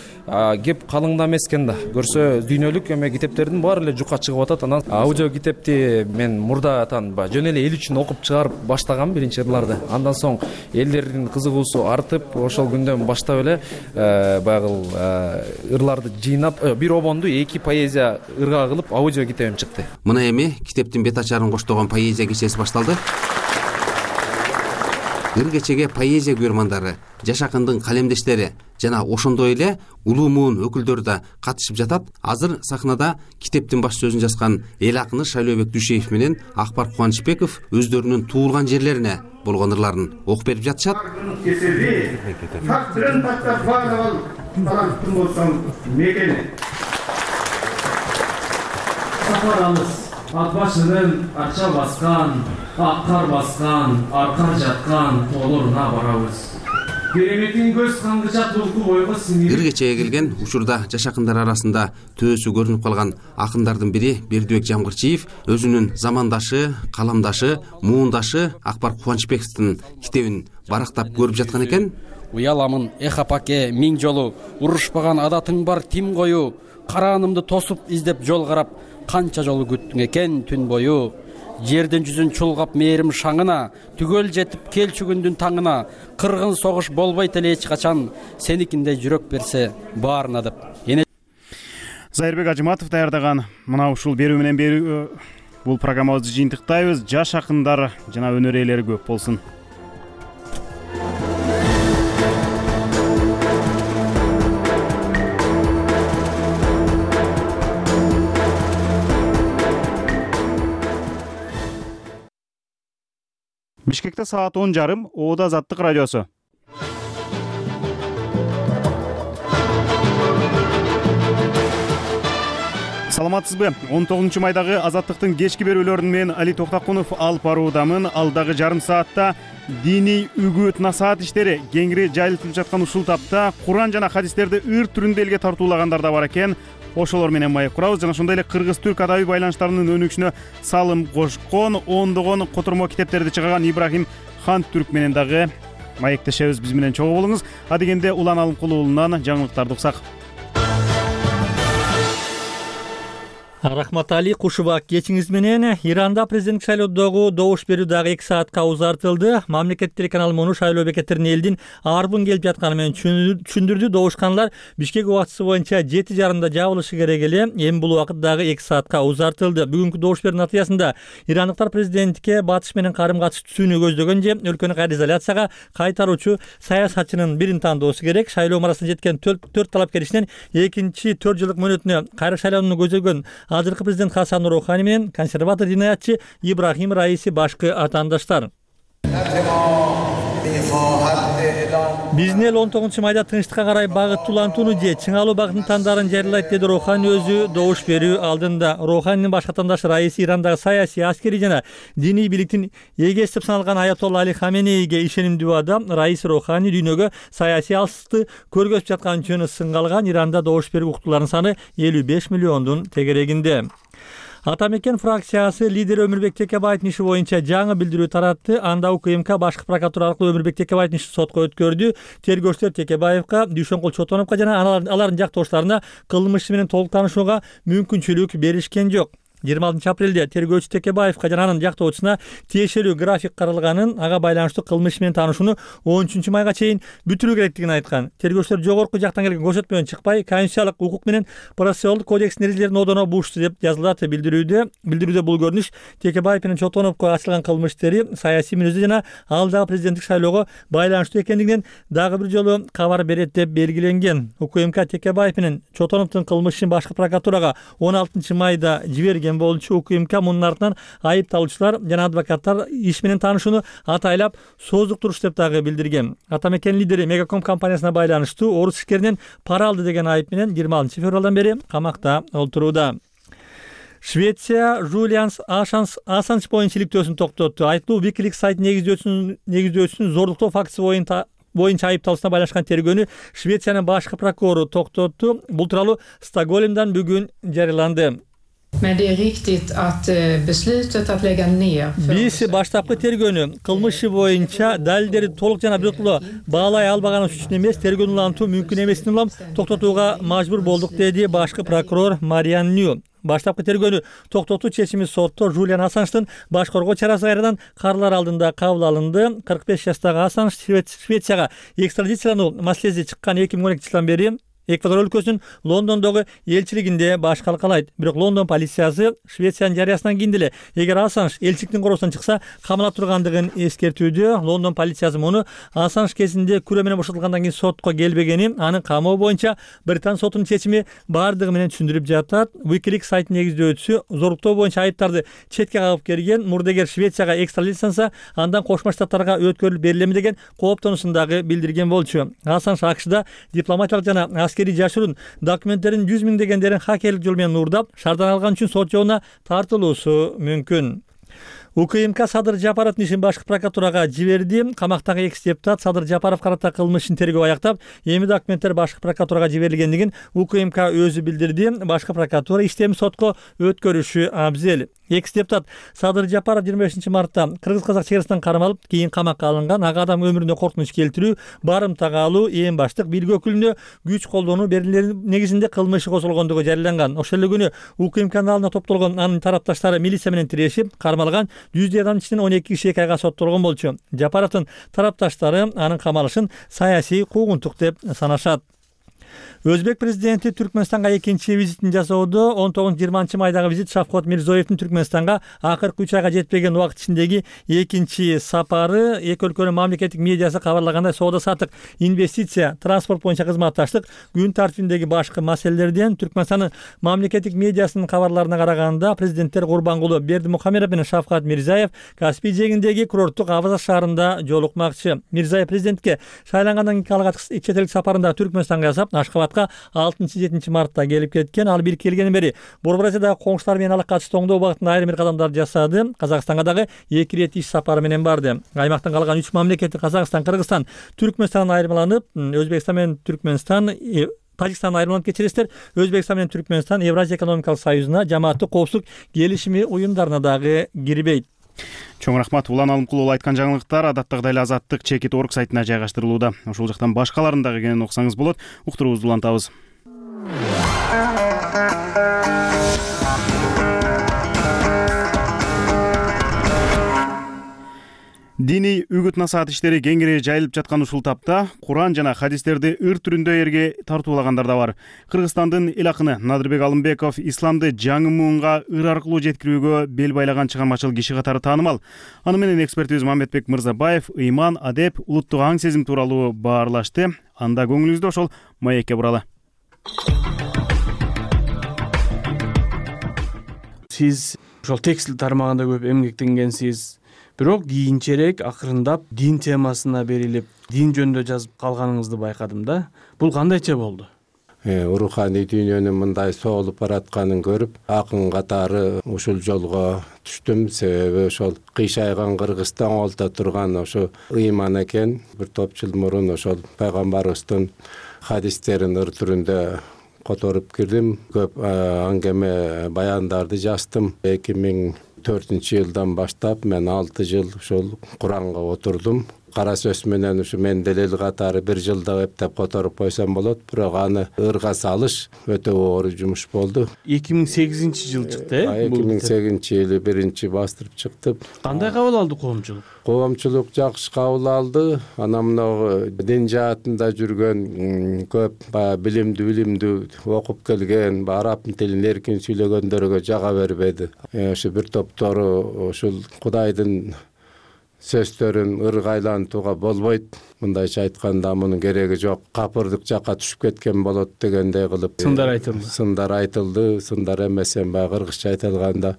кеп калыңда эмес экен да. Көрсө дүйнөлүк эме китептердин баары эле жука чыгып атат. Анан аудио китепти мен мурдатан жөн эле эл үчүн окуп чыгарып баштагам биринчи ырларды. Андан соң элдердин кызыгуусу артып, ошол күндөн баштап эле баягы ырларды жыйнап, бир обонду 2 поэзия ырга кылып аудио китебим чыкты. Мына эми китептин бет ачарын коштогон поэзия кечеси башталды. ыр кечеге поэзия көрмандары, жаш акындын калемдештери жана ошондой эле улуу муун өкүлдөрү да катышып жатат. Азыр сахнада китептин баш сөзүн жазган эл акыны Шайлообек Дүйшеев менен Акбар Кубанычбеков өздөрүнүн туулган жерлерине болгон ырларын окуп берип жатышат. Сапарымыз ат башынын арча баскан, ак кар баскан, аркар жаткан тоолоруна барабыз. Кереметин көз каңгычат улку бойго сиңирип. Ыр кечеге келген учурда жаш акындар арасында төөсү көрүнүп калган акындардын бири Бердибек Жамгырчиев өзүнүн замандашы, каламдашы, муундашы Акбар Кубанычбековдун китебин барактап көрүп жаткан экен. Уяламын эх апаке миң жолу, урушпаган адатың бар тим кою, караанымды тосуп издеп жол карап, канча жолу күттүң экен түн бою. Жердин жүзүн чулгап мээрим шаңына, түгөл жетип келчү күндүн таңына, кыргын согуш болбойт эле эч качан, сеникиндей жүрөк берсе баарына деп. Зайырбек Ажыматов даярдаган мына ушул берүү менен бул программабызды жыйынтыктайбыз. Жаш акындар жана өнөр ээлери көп болсун. Бишкекте саат 10:30, Оода Азаттык радиосу. Саламатсызбы? 19 майдагы Азаттыктын кечки берүүлөрүн мен Али Токтакунов алып баруудамын. Алдагы жарым саатта диний үгүт насаат иштери кеңири жайылтылып жаткан ушул тапта Куран жана хадистерди ыр түрүндө элге тартуулагандар да бар экен. Ошолор менен маек курабыз жана ошондой эле кыргыз-түрк адабий байланыштарынын өнүгүшүнө салым кошкон, ондогон котормо китептерди чыгарган Ибрахим Хан Түрк менен дагы маектешебиз. Биз менен чогуу болуңуз. Адегенде Улан Алымкулуу уулунан жаңылыктарды уксак. Рахматали Кушубак, кечиңиз менен Иранда президенттик шайлоодогу добуш берүү дагы 2 саатка узартылды. Мамлекет телеканалы муну шайлоо бекеттерине элдин арбын келип жатканы менен түшүндүрдү. Добушканлар Бишкек убактысы боюнча 7:30 жабылышы керек эле. Эми бул убакыт дагы 2 саатка узартылды. Бүгүнкү добуш берүү натыйжасында ирандыктар президентке батыш менен карым-катыш түзүүнү көздөгөн же өлкөнү кайра изоляцияга кайтаруучу саясатчынын бирин тандоосу керек. Шайлоо марасына жеткен 4 талапкер ичинен экинчи 4 жылдык мөөнөтүнө кайра шайланууну көзөгөн азыркы президент Хасан Рухани менен консерватор динаятчы Ибрахим Раиси башкы атаандаштар. Биздин эл 19 майда тынчтыкка карай багыттуулантууну же чыңалуу багытын тандарын жарыялайт, деди Рухани өзү добуш берүү алдында. Руханинин башкы атаандашы Раиси Ирандагы саясий, аскерий жана диний бийликтин эгеси деп саналган Аятолла Али Хаменейге ишенимдүү адам. Раиси Рухани дүйнөгө саясий алсызыкты көргөзүп жаткан жөнү сынгалган. Иранда добуш берүү укуктууларынын саны 55 миллиондун тегерегинде. Атамекен фракциясы лидери Өмүрбек Текебаевдин иши боюнча жаңы билдирүү таратты. Анда УКМК башкы прокуратура аркылуу Өмүрбек Текебаевдин ишин сотко өткөрдү. Тергөөчүлөр Текебаевга, Дүйшөнкул Чотоновго жана алардын жактоошторуна кылмыш иши менен толук таанышууга мүмкүнчүлүк беришкен жок. 26 апрелде тергөөчү Текебаевга жана анын жактоочусуна тиешелүү график каралганын, ага байланыштуу кылмыш менен таанышууну 13 майга чейин бүтүрүү керектигин айткан. Тергөөчүлөр жогорку жактан келген көрсөтмө менен чыкпай, конституциялык укук менен процессуалдык кодекстин эрежелерин одоно бушту деп жазылат билдирүүдө. Бул көрүнүш Текебаев менен Чотоновго ачылган кылмыш иштери саясий мүнөздүү жана алдагы президенттик шайлоого байланыштуу экендигинен дагы бир жолу кабар берет деп белгиленген. УКМК Текебаев менен Чотоновдун кылмыш ишин башкы прокуратурага 16 майда жиберген болчу. УКМК мунун артынан айыпталуучулар жана адвокаттар иш менен таанышууну атайлап сооздуктуруш деп дагы билдирген. Атамекен лидери Мегаком компаниясына байланыштуу орус ишкеринен пара алды деген айып менен 26 февралдан бери камакта олтурууда. Швеция Жулиан Ассанж боюнча иликтөөсүн токтотту. Айыптуу Wikileaks сайтын негиздөөчүсүн зордуктоо фактысы боюнча айыпталуусуна байланышкан тергөөнү Швециянын башкы прокурору токтотту. Бул тууралуу Стокгольмдон бүгүн жарыяланды. Men det är riktigt att beslutet att lägga ner. Биз баштапкы тергөөнү кылмыш боюнча далилдерди толук жана бирдиктүү баалай албаганыбыз үчүн эмес, тергөөнү улантуу мүмкүн эмесин улам токтотууга мажбур болдук, деди башкы прокурор Мариан Нью. Баштапкы тергөөнү токтотуу чечими сотто Жулиан Ассанждын баш коргоо чарасы кайрадан каарылар алдында кабыл алынды. 45 жаштагы Ассанж Швецияга экстрадициялануу маселеси чыккан 2012 жылдан бери Эквадор өлкөсүнүн Лондондогу элчилигинде баш калкалайт. Бирок Лондон полициясы Швециянын жарыясынан кийин деле эгер Ассанж элчиликтин короосунан чыкса камала тургандыгын эскертүүдө. Лондон полициясы муну Ассанж кезинде күрөө менен бошотулгандан кийин сотко келбегени, анын камоо боюнча Британ сотунун чечими бардыгы менен түшүндүрүп жатат. Wikileaks сайтынын негиздөөчүсү зорлуктоо боюнча айыптарды четке кагып келген мурдагер Швецияга экстрадицияланса, андан Кошмо Штаттарга өткөрүлүп берилеми деген кооптонуусун дагы билдирген болчу. Ассанж АКШда дипломатиялык жана аскерий жашыруун документтерин 100 миңдегендерин хакерлик жол менен уурдап, шаардан алган үчүн сот жолуна тартылуусу мүмкүн. УКМК Садыр Жапаровдун ишин башкы прокуратурага жиберди. Камактагы экс депутат Садыр Жапаров карата кылмыш ишин тергөө аяктап, эми документтер башкы прокуратурага жиберилгендигин УКМК өзү билдирди. Башкы прокуратура иштеми сотко өткөрүшү абзел. Экс депутат Садыр Жапаров 25 мартта кыргыз-казак чекарасынан кармалып, кийин камакка алынган. Ага адам өмүрүнө коркунуч келтирүү, барымтага алуу, эң баштык бирге өкүлүнө күч колдонуу берилери негизинде кылмыш козголгондугу жарыяланган. Ошол эле күнү УКМКнын алдына топтолгон анын тарапташтары милиция менен тирешип, кармалган 100 адамдын ичинен 12 киши 2 айга соттолгон болчу. Жапаровдун тарапташтары анын камалышын саясий куугунтук деп санашат. Өзбек президенти Түркмөнстанга экинчи визитин жасоодо 19-20 майдагы визит Шавкат Мирзиёевдин Түркмөнстанга акыркы 3 айга жетпеген убакыт ичиндеги экинчи сапары. Эки өлкөнүн мамлекеттик медиасы кабарлагандай, соода-саттык, инвестиция, транспорт боюнча кызматташтык күн тартибиндеги башкы маселелерден. Түркмөнстандын мамлекеттик медиасынын кабарларына караганда, президенттер Курбангулы Бердимухамедов менен Шавкат Мирзиёев Каспий жээгиндеги курорттук Аваза шаарында жолукмакчы. Мирзиёев президентке шайлангандан кийин алгач чет элдик сапарында Түркмөнстанга жасап, Ашкабадка 6-7 мартта келип кеткен. Ал бир келгенден бери Борбор Азиядагы коңшулар менен ала катыштуу оңдоо багытында айрым бир кадамдар жасады. Казакстанга дагы 2 ирет иш сапары менен барды. Аймактан калган 3 мамлекет Казакстан, Кыргызстан, Түркмөнстан айырмаланып, Өзбекстан менен Түркмөнстан Тажикстан айрымаланып кетиресиздер. Өзбекстан менен Түркмөнстан Евразия экономикалык союзуна, жамааттык коопсуздук келишими уюмдарына дагы кирбейт. Чоң рахмат. Улан Алымкулова айткан жаңылыктар адаттагыдай эле Азаттык Чекит.org сайтына жайгаштырылууда. Ошол жактан башкаларын дагы кенен окусаңыз болот. Уктуруубузду улантабыз. Диний үгүт-насаат иштери кеңири жайылып жаткан ушул тапта Куран жана хадистерди ыр түрүндө эрге тартуулагандар да бар. Кыргызстандын эл акыны Надырбек Алымбеков исламды жаңы муунга ыр аркылуу жеткирүүгө бел байлаган чыгармачыл киши катары таанымал. Аны менен экспертибиз Мамедбек Мырзабаев ыйман, адеп, улуттук аң сезим тууралуу баарлашты. Анда көңүлүңүздү ошол маекке буралы. Сиз ошол текстил тармагында көп эмгектенгенсиз. Бирок кийинчерээк акырындап дин темасына берилип, дин жөнүндө жазып калганыңызды байкадым да. Бул кандайча болду? Руханий дүйнөнүн мындай соолуп баратканын көрүп, акын катары ушул жолго түштүм. Себеби ошол кыйшайган Кыргызстан олто турган ошо ыйман экен. Бир топ жыл мурун ошол пайгамбарыбыздын хадистерин ыр түрүндө которуп кирдим. Көп аңгеме баяндарды жаздым. 2004-жылдан баштап мен 6 жыл ошол Куранга отурдум. Кара сөз менен ушу мен делил катары 1 жылда эптеп которуп койсом болот, бирок аны ырга салыш өтө оор жумуш болду. 2008-жыл чыкты, 2008-жылы биринчи бастырып чыкты. Кандай кабыл алды коомчулук? Коомчулук жакшы кабыл алды. Анан мына дин жаатында жүргөн көп билимдүү окуп келген, араб тилин эркин сүйлөгөндөргө жага бербеди. Ошо бир топтору ушул Кудайдын сөздөрүн ыргайлантууга болбойт. Мындайча айтканда мунун кереги жок. Капырдык жакка түшүп кеткен болот дегендей кылып сындар айтылды. Сындар эмес, баягы кыргызча айтылганда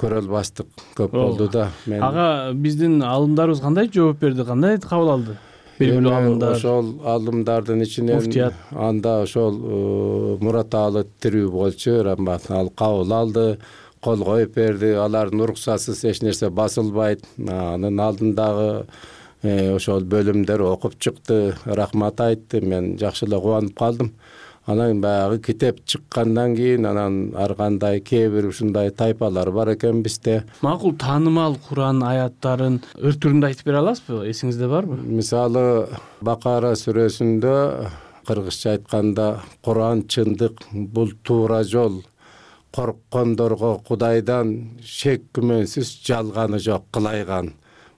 көрө албастык көп болду да. Ага биздин алымдарыбыз кандай жооп берди, кандай кабыл алды? Белгилүү алымдар. Ошол алымдардын ичинен анда ошол Мураталы тирүү болчу, ал кабыл алды. Кол коюп берди, алардын уруксатсыз эч нерсе басылбайт. Анын алдындагы ошол бөлүмдөр окуп чыкты, рахмат айтты. Мен жакшы эле кубанып калдым. Анан баягы китеп чыккандан кийин анан ар кандай кээ бир ушундай тайпалар бар экен бизде. Макул таанымал Куран аяттарын ыр түрүндө айтып бере аласызбы? Эсиңизде барбы? Мисалы Бакара сүрөсүндө кыргызча айтканда Куран чындык, бул туура жол. Корккондорго Кудайдан шек күмөнсүз жалганы жок кылайган.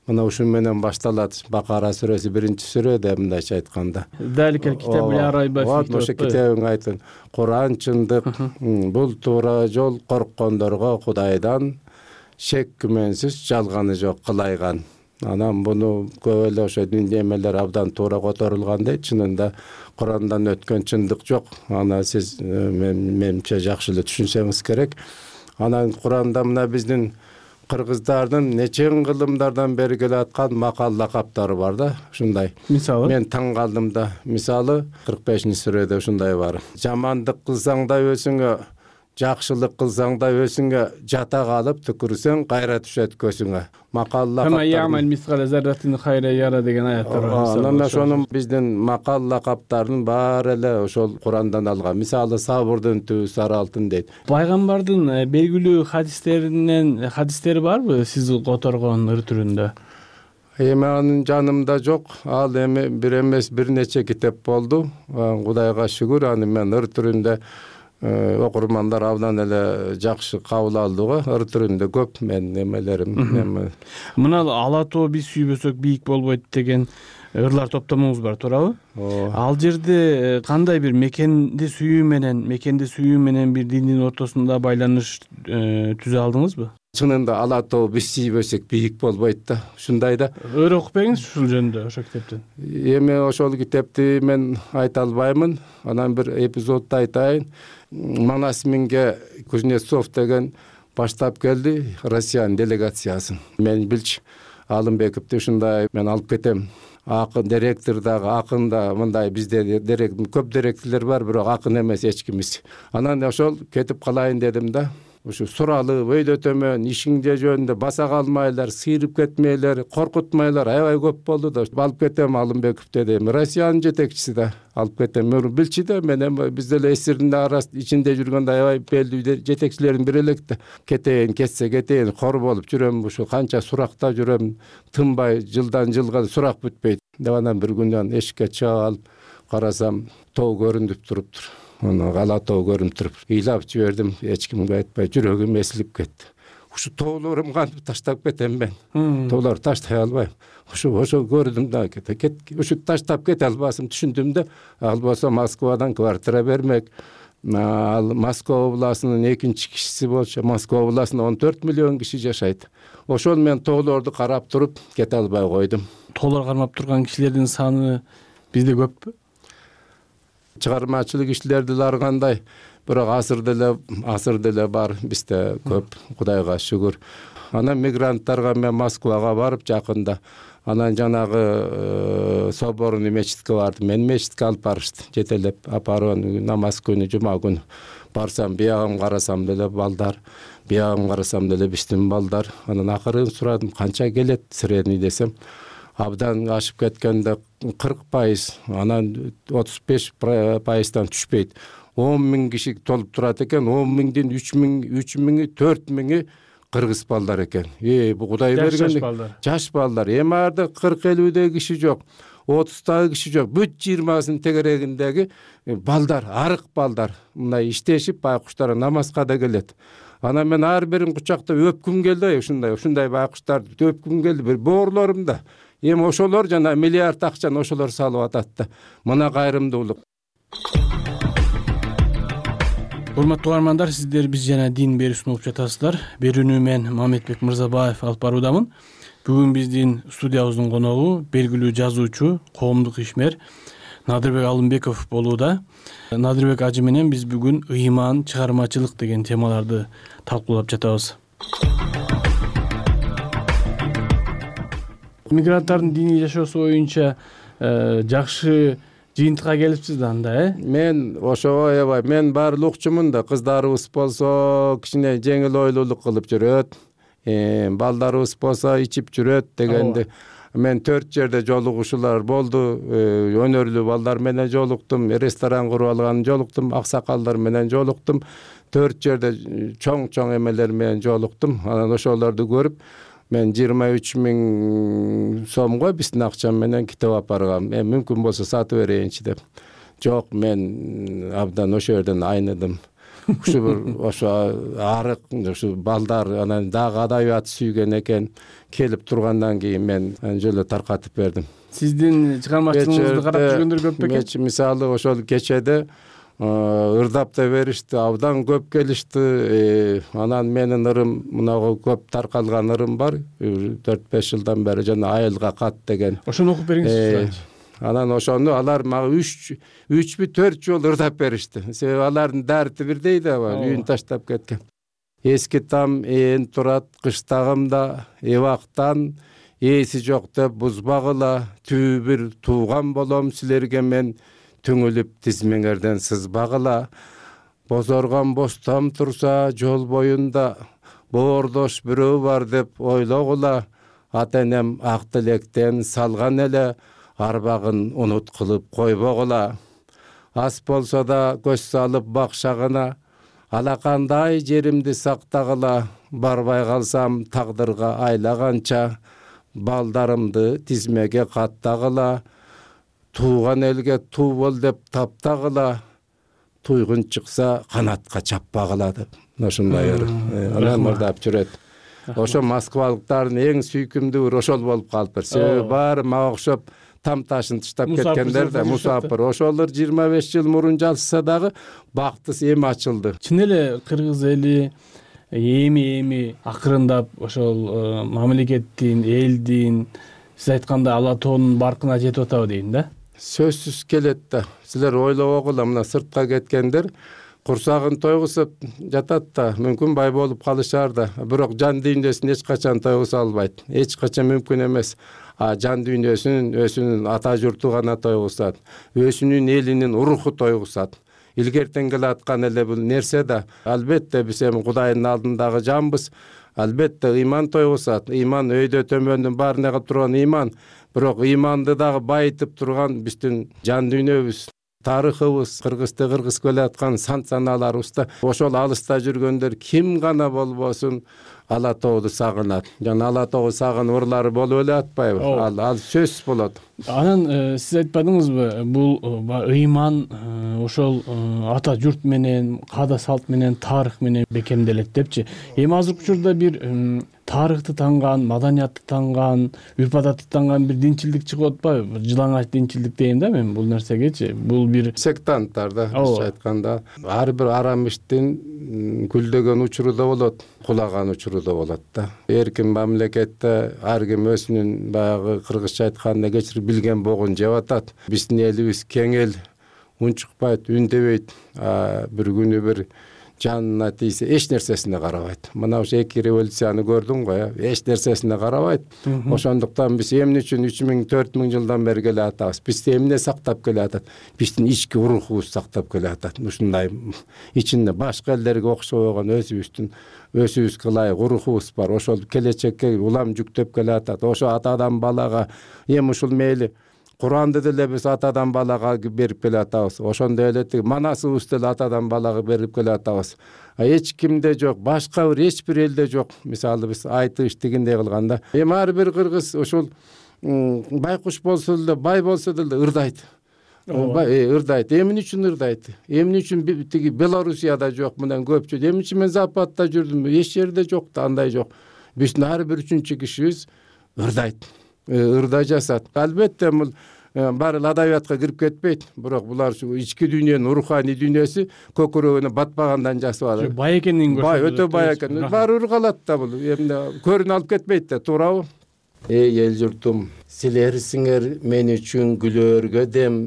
мына ушун менен башталат. Бакара сүрөсү 1-сүрөдө мындайча айтканда. Даликел китаб арайба. Вот ошо китебиң айтын. Куран чындык, бул туура жол, корккондорго Кудайдан шек күмөнсүз жалганы жок кылайган. Анан буну көп эле ошо дин эмелер абдан туура которулган дейт. Чынында Курандан өткөн чындык жок. Аны сиз менимче жакшы эле түшүнсөңүз керек. Анан Куранда мына биздин кыргыздардын нече кылымдардан бери келаткан макал лакаптары бар да, ушундай. Мисалы? Мен таң калдым да. Мисалы 45-сүрөдө ушундай бар. Жамандык кылсаң да өзүңө, жакшылык кылсаң да өзүңө, жата калып түкүрсөң кайра түшөт көзүңө. Макал лакаптар деген аяттар бар. Анан ошонун биздин макал лакаптарын баары эле ошол Курандан алган. Мисалы Сабырдын түбү сары алтын дейт. Пайгамбардын белгилүү хадистери барбы сиз которгон ыр түрүндө? Эми анын жанымда жок. Ал эми бир эмес бир нече китеп болду. Кудайга шүгүр, аны мен ыр түрүндө окурмандар абдан эле жакшы кабыл алды го. Ыр түрүндө көп мен эмелерим. Мына ала тоо биз сүйбөсөк бийик болбойт деген ырлар топтомуңуз бар, туурабы? Ал жерде кандай бир мекенди сүйүү менен бир диндин ортосунда байланыш түзө алдыңызбы? Чынында ала тоо биз сүйбөсөк бийик болбойт да. Ушундай да. Өр окуп бериңиз ушул жөнүндө ошол китептен. Эми ошол китепти мен айта албаймын. Анан бир эпизодду айтайын. Манас Минге Кузнецов деген баштап келди Россиянын делегациясын. Мен билчи Алымбековду ушундай мен алып кетем. Акын директор дагы, акын да мындай бизде көп директорлор бар, бирок акын эмес эч кимиз. Анан ошол кетип калайын дедим да. Ушу суралып, өйдө төмөн ишиңде жөнүндө баса калмайлар, сыйрып кетмейлер, коркутмайлар аябай көп болду да. Алып кетем Алымбеков дедим. Россиянын жетекчиси да алып кетем. Билчи да, мен эми биз деле эсирдин ичинде жүргөндө аябай белгилүү жетекчилердин бири элек да. Кетейин, кетсе кетейин, кор болуп жүрөм, ушу канча суракта жүрөм, тынбай жылдан жылга сурак бүтпөйт. Деп анан бир күнү эшикке чыга алып карасам, тоо көрүнүп туруптур. Аны ала тоо көрүнүп туруп, ыйлап жибердим, эч кимге айтпай, жүрөгүм эсилип кетти. Ушу тоолорум кантип таштап кетем мен? Тоолорду таштай албайм. Ошо көрдүм да, ушу таштап кете албасым түшүндүм да. Ал болсо Москвадан квартира бермек. Ал Москва областынын экинчи кишиси болчу. Москва областында 14 миллион киши жашайт. Ошол мен тоолорду карап туруп кете албай койдум. Тоолор кармап турган кишилердин саны бизде көппү? Чыгармачылык иштердилер кандай, бирок азыр деле бар бизде көп, Кудайга шүгүр. Анан мигранттарга мен Москвага барып жакында, анан жанагы соборный мечитке бардым. Мен мечитке алып барышты, жетелеп апарып намаз күнү, жума күнү барсам, биягым карасам деле балдар, биягым карасам деле биздин балдар. Анан акырын сурадым, канча келет средний десем, абдан ашып кеткенде 40%, анан 35%дан түшпөйт. 10 000 киши толуп турат экен, 10 000дин 3 000, 4 000 кыргыз балдар экен. Бу Кудай берген жаш балдар. Эми арда 40-50 киши жок, 30 киши жок. Бүт 20-сын тегерегиндеги балдар, арык балдар. Мындай иштешип байкуштар намазга да келет. Анан мен ар бирин кучактап өпкүм келди, ушундай байкуштарды өпкүм келди. Бир боорлорум да. Эми ошолор жана миллиард акчаны ошолор салып атат да. Мына кайрымдуулук. Урматтуу угармандар, сиздер биз жана дин берүүсүн угуп жатасыздар. Берүүнү мен Мамедбек Мырзабаев алып баруудамын. Бүгүн биздин студиябыздын коногу белгилүү жазуучу, коомдук ишмер Надырбек Алымбеков болууда. Надырбек ажы менен биз бүгүн ыйман, чыгармачылык деген темаларды талкуулап жатабыз. Мигранттардын диний жашоосу боюнча жакшы жыйынтыкка келипсиз да анда, Мен ошого аябай, мен баары укчумун да, кыздарыбыз болсо кичине жеңил ойлуулук кылып жүрөт, балдарыбыз болсо ичип жүрөт дегенди. Мен 4 жерде жолугушуулар болду. Өнөрлүү балдар менен жолуктум, ресторан куруп алган жолуктум, аксакалдар менен жолуктум. 4 жерде чоң эмелер менен жолуктум. Анан ошолорду көрүп, мен 23 000 сомго биздин акчам менен китеп алып баргам. Мүмкүн болсо сатып берейинчи деп. Жок, мен абдан ошол жерден айныдым. ушу бир ошо арык ушу балдар анан дагы адабият сүйгөн экен, келип тургандан кийин мен жолу таркатып бердим. Сиздин чыгармачылыгыңызды карап жүргөндөр көп бекен? Мисалы ошол кечеде ырдап да беришти, абдан көп келишти. Анан менин ырым мынагу көп таркалган ырым бар, 4-5 жылдан бери, жана айылга кат деген. Ошону окуп бериңизчи. Анан ошону алар мага 3-4 жол ырдап беришти. Себеби алардын дарти бирдей да, үйүн таштап кеткен. Эски там ээн турат кыштагымда, эбактан ээси жок деп бузбагыла, түбү бир тууган болом силерге мен, түңүлүп тизмеңерден сызбагыла. Бозоргон бостом турса жол боюнда, боордош бирөө бар деп ойлогула. Ата энем ак тилектен салган эле, арбагын унут кылып койбогула. Ас болсо да көз салып бакшагына, алакандай жеримди сактагыла. Барбай калсам тагдырга айлаганча, балдарымды тизмеге каттагыла. Тууган элге туу бол деп таптагыла. Туйгун чыкса канатка чаппагыла деп. Ошондой анан ырдап жүрөт. Ошо москвалыктардын эң сүйкүмдүү ошол болуп калыптыр. Себеби баары мага окшоп там ташын таштап кеткендер да, мусапыр. Ошолор 25 жыл мурун жалышса дагы бактыс эми ачылды. Чын эле кыргыз эли эми акырындап ошол мамлекеттин, элдин, сиз айткандай ала тоонун баркына жетип атабы дейм да. Сөзсүз келет да. Силер ойлобогула, мына сыртка кеткендер курсагын тойгусуп жатат да, мүмкүн бай болуп калышар да. Бирок жан дүйнөсүн эч качан тойгуса албайт. Эч качан мүмкүн эмес. Жан дүйнөсүн өзүнүн ата журту гана тойгусат. Өзүнүн элинин руху тойгусат. Илгертен келаткан эле бул нерсе да. Албетте биз эми Кудайдын алдындагы жанбыз. Албетте ыйман тойгусат. Ыйман өйдө төмөндүн баарына кылып турган ыйман. Бирок ыйманды дагы байытып турган биздин жан дүйнөбүз, тарыхыбыз, кыргызды кыргыз келаткан сан-саналарыбызда. Ошол алыста жүргөндөр ким гана болбосун ала тоодо сагынат. Жана ала тоого сагынып ырлары болуп эле атпайбы? Ал сөзсүз болот. Анан сиз айтпадыңызбы, бул ыйман ошол ата журт менен, каада салт менен, тарых менен бекемделет депчи. Эми азыркы учурда бир тарыхты танган, маданиятты танган, үрп-адатты танган бир динчилдик чыгып атпайбы? Жылаңач динчилдик дейм да мен бул нерсегечи. Бул бир сектанттар да, айтканда, ар бир арам иштин гүлдөгөн учуру да болот, кулаган учуру да болот да. Эркин мамлекетте ар ким өзүнүн баягы кыргызча айтканда кечирип билген богун жеп атат. Биздин элибиз кең эл, унчукпайт, үндебейт. Бир күнү бир жанына тийсе эч нерсесине карабайт. Мына ошо 2 революцияны көрдүң го, эч нерсесине карабайт. Ошондуктан биз эмне үчүн 3000-4000 жылдан бери келе атабыз? Биз эмне сактап келе атат? Биздин ички рухубуз сактап келе атат. Ушундай ичинде башка элдерге окшобогон өзүбүзгө ылайык рухубуз бар. Ошол келечекке улам жүктөп келе атат. Ошо атадан балага эми ушул мейли Куранды деле биз атадан балага берип келе атабыз. Ошондой эле манасыбыз деле атадан балага берип келе атабыз. Эч кимде жок, башка бир эч бир элде жок. Мисалы биз айтыш дегендей кылганда, эми ар бир кыргыз ошол байкуш болсо деле, бай болсо деле ырдайт. Ырдайт. Эмне үчүн ырдайт? Эмне үчүн тиги Белоруссияда жок менен көпчү? Эмне үчүн мен Западта жүрдүм? Эч жерде жок да, андай жок. Биздин ар бир 3-чү кишибиз ырдайт. Ырдай жасат. Албетте бул баары адабиятка кирип кетпейт. Бирок булар ушу ички дүйнөнүн руханий дүйнөсү көкүрөгүнө батпагандан жасап алат. Бай экенин көрсөтөт. Бай, өтө бай экен. Баары ыргалат да бул. Эмне көрүнө алып кетпейт да, туурабы? Эй эл журтум, силерсиңер мен үчүн күлөөргө дем,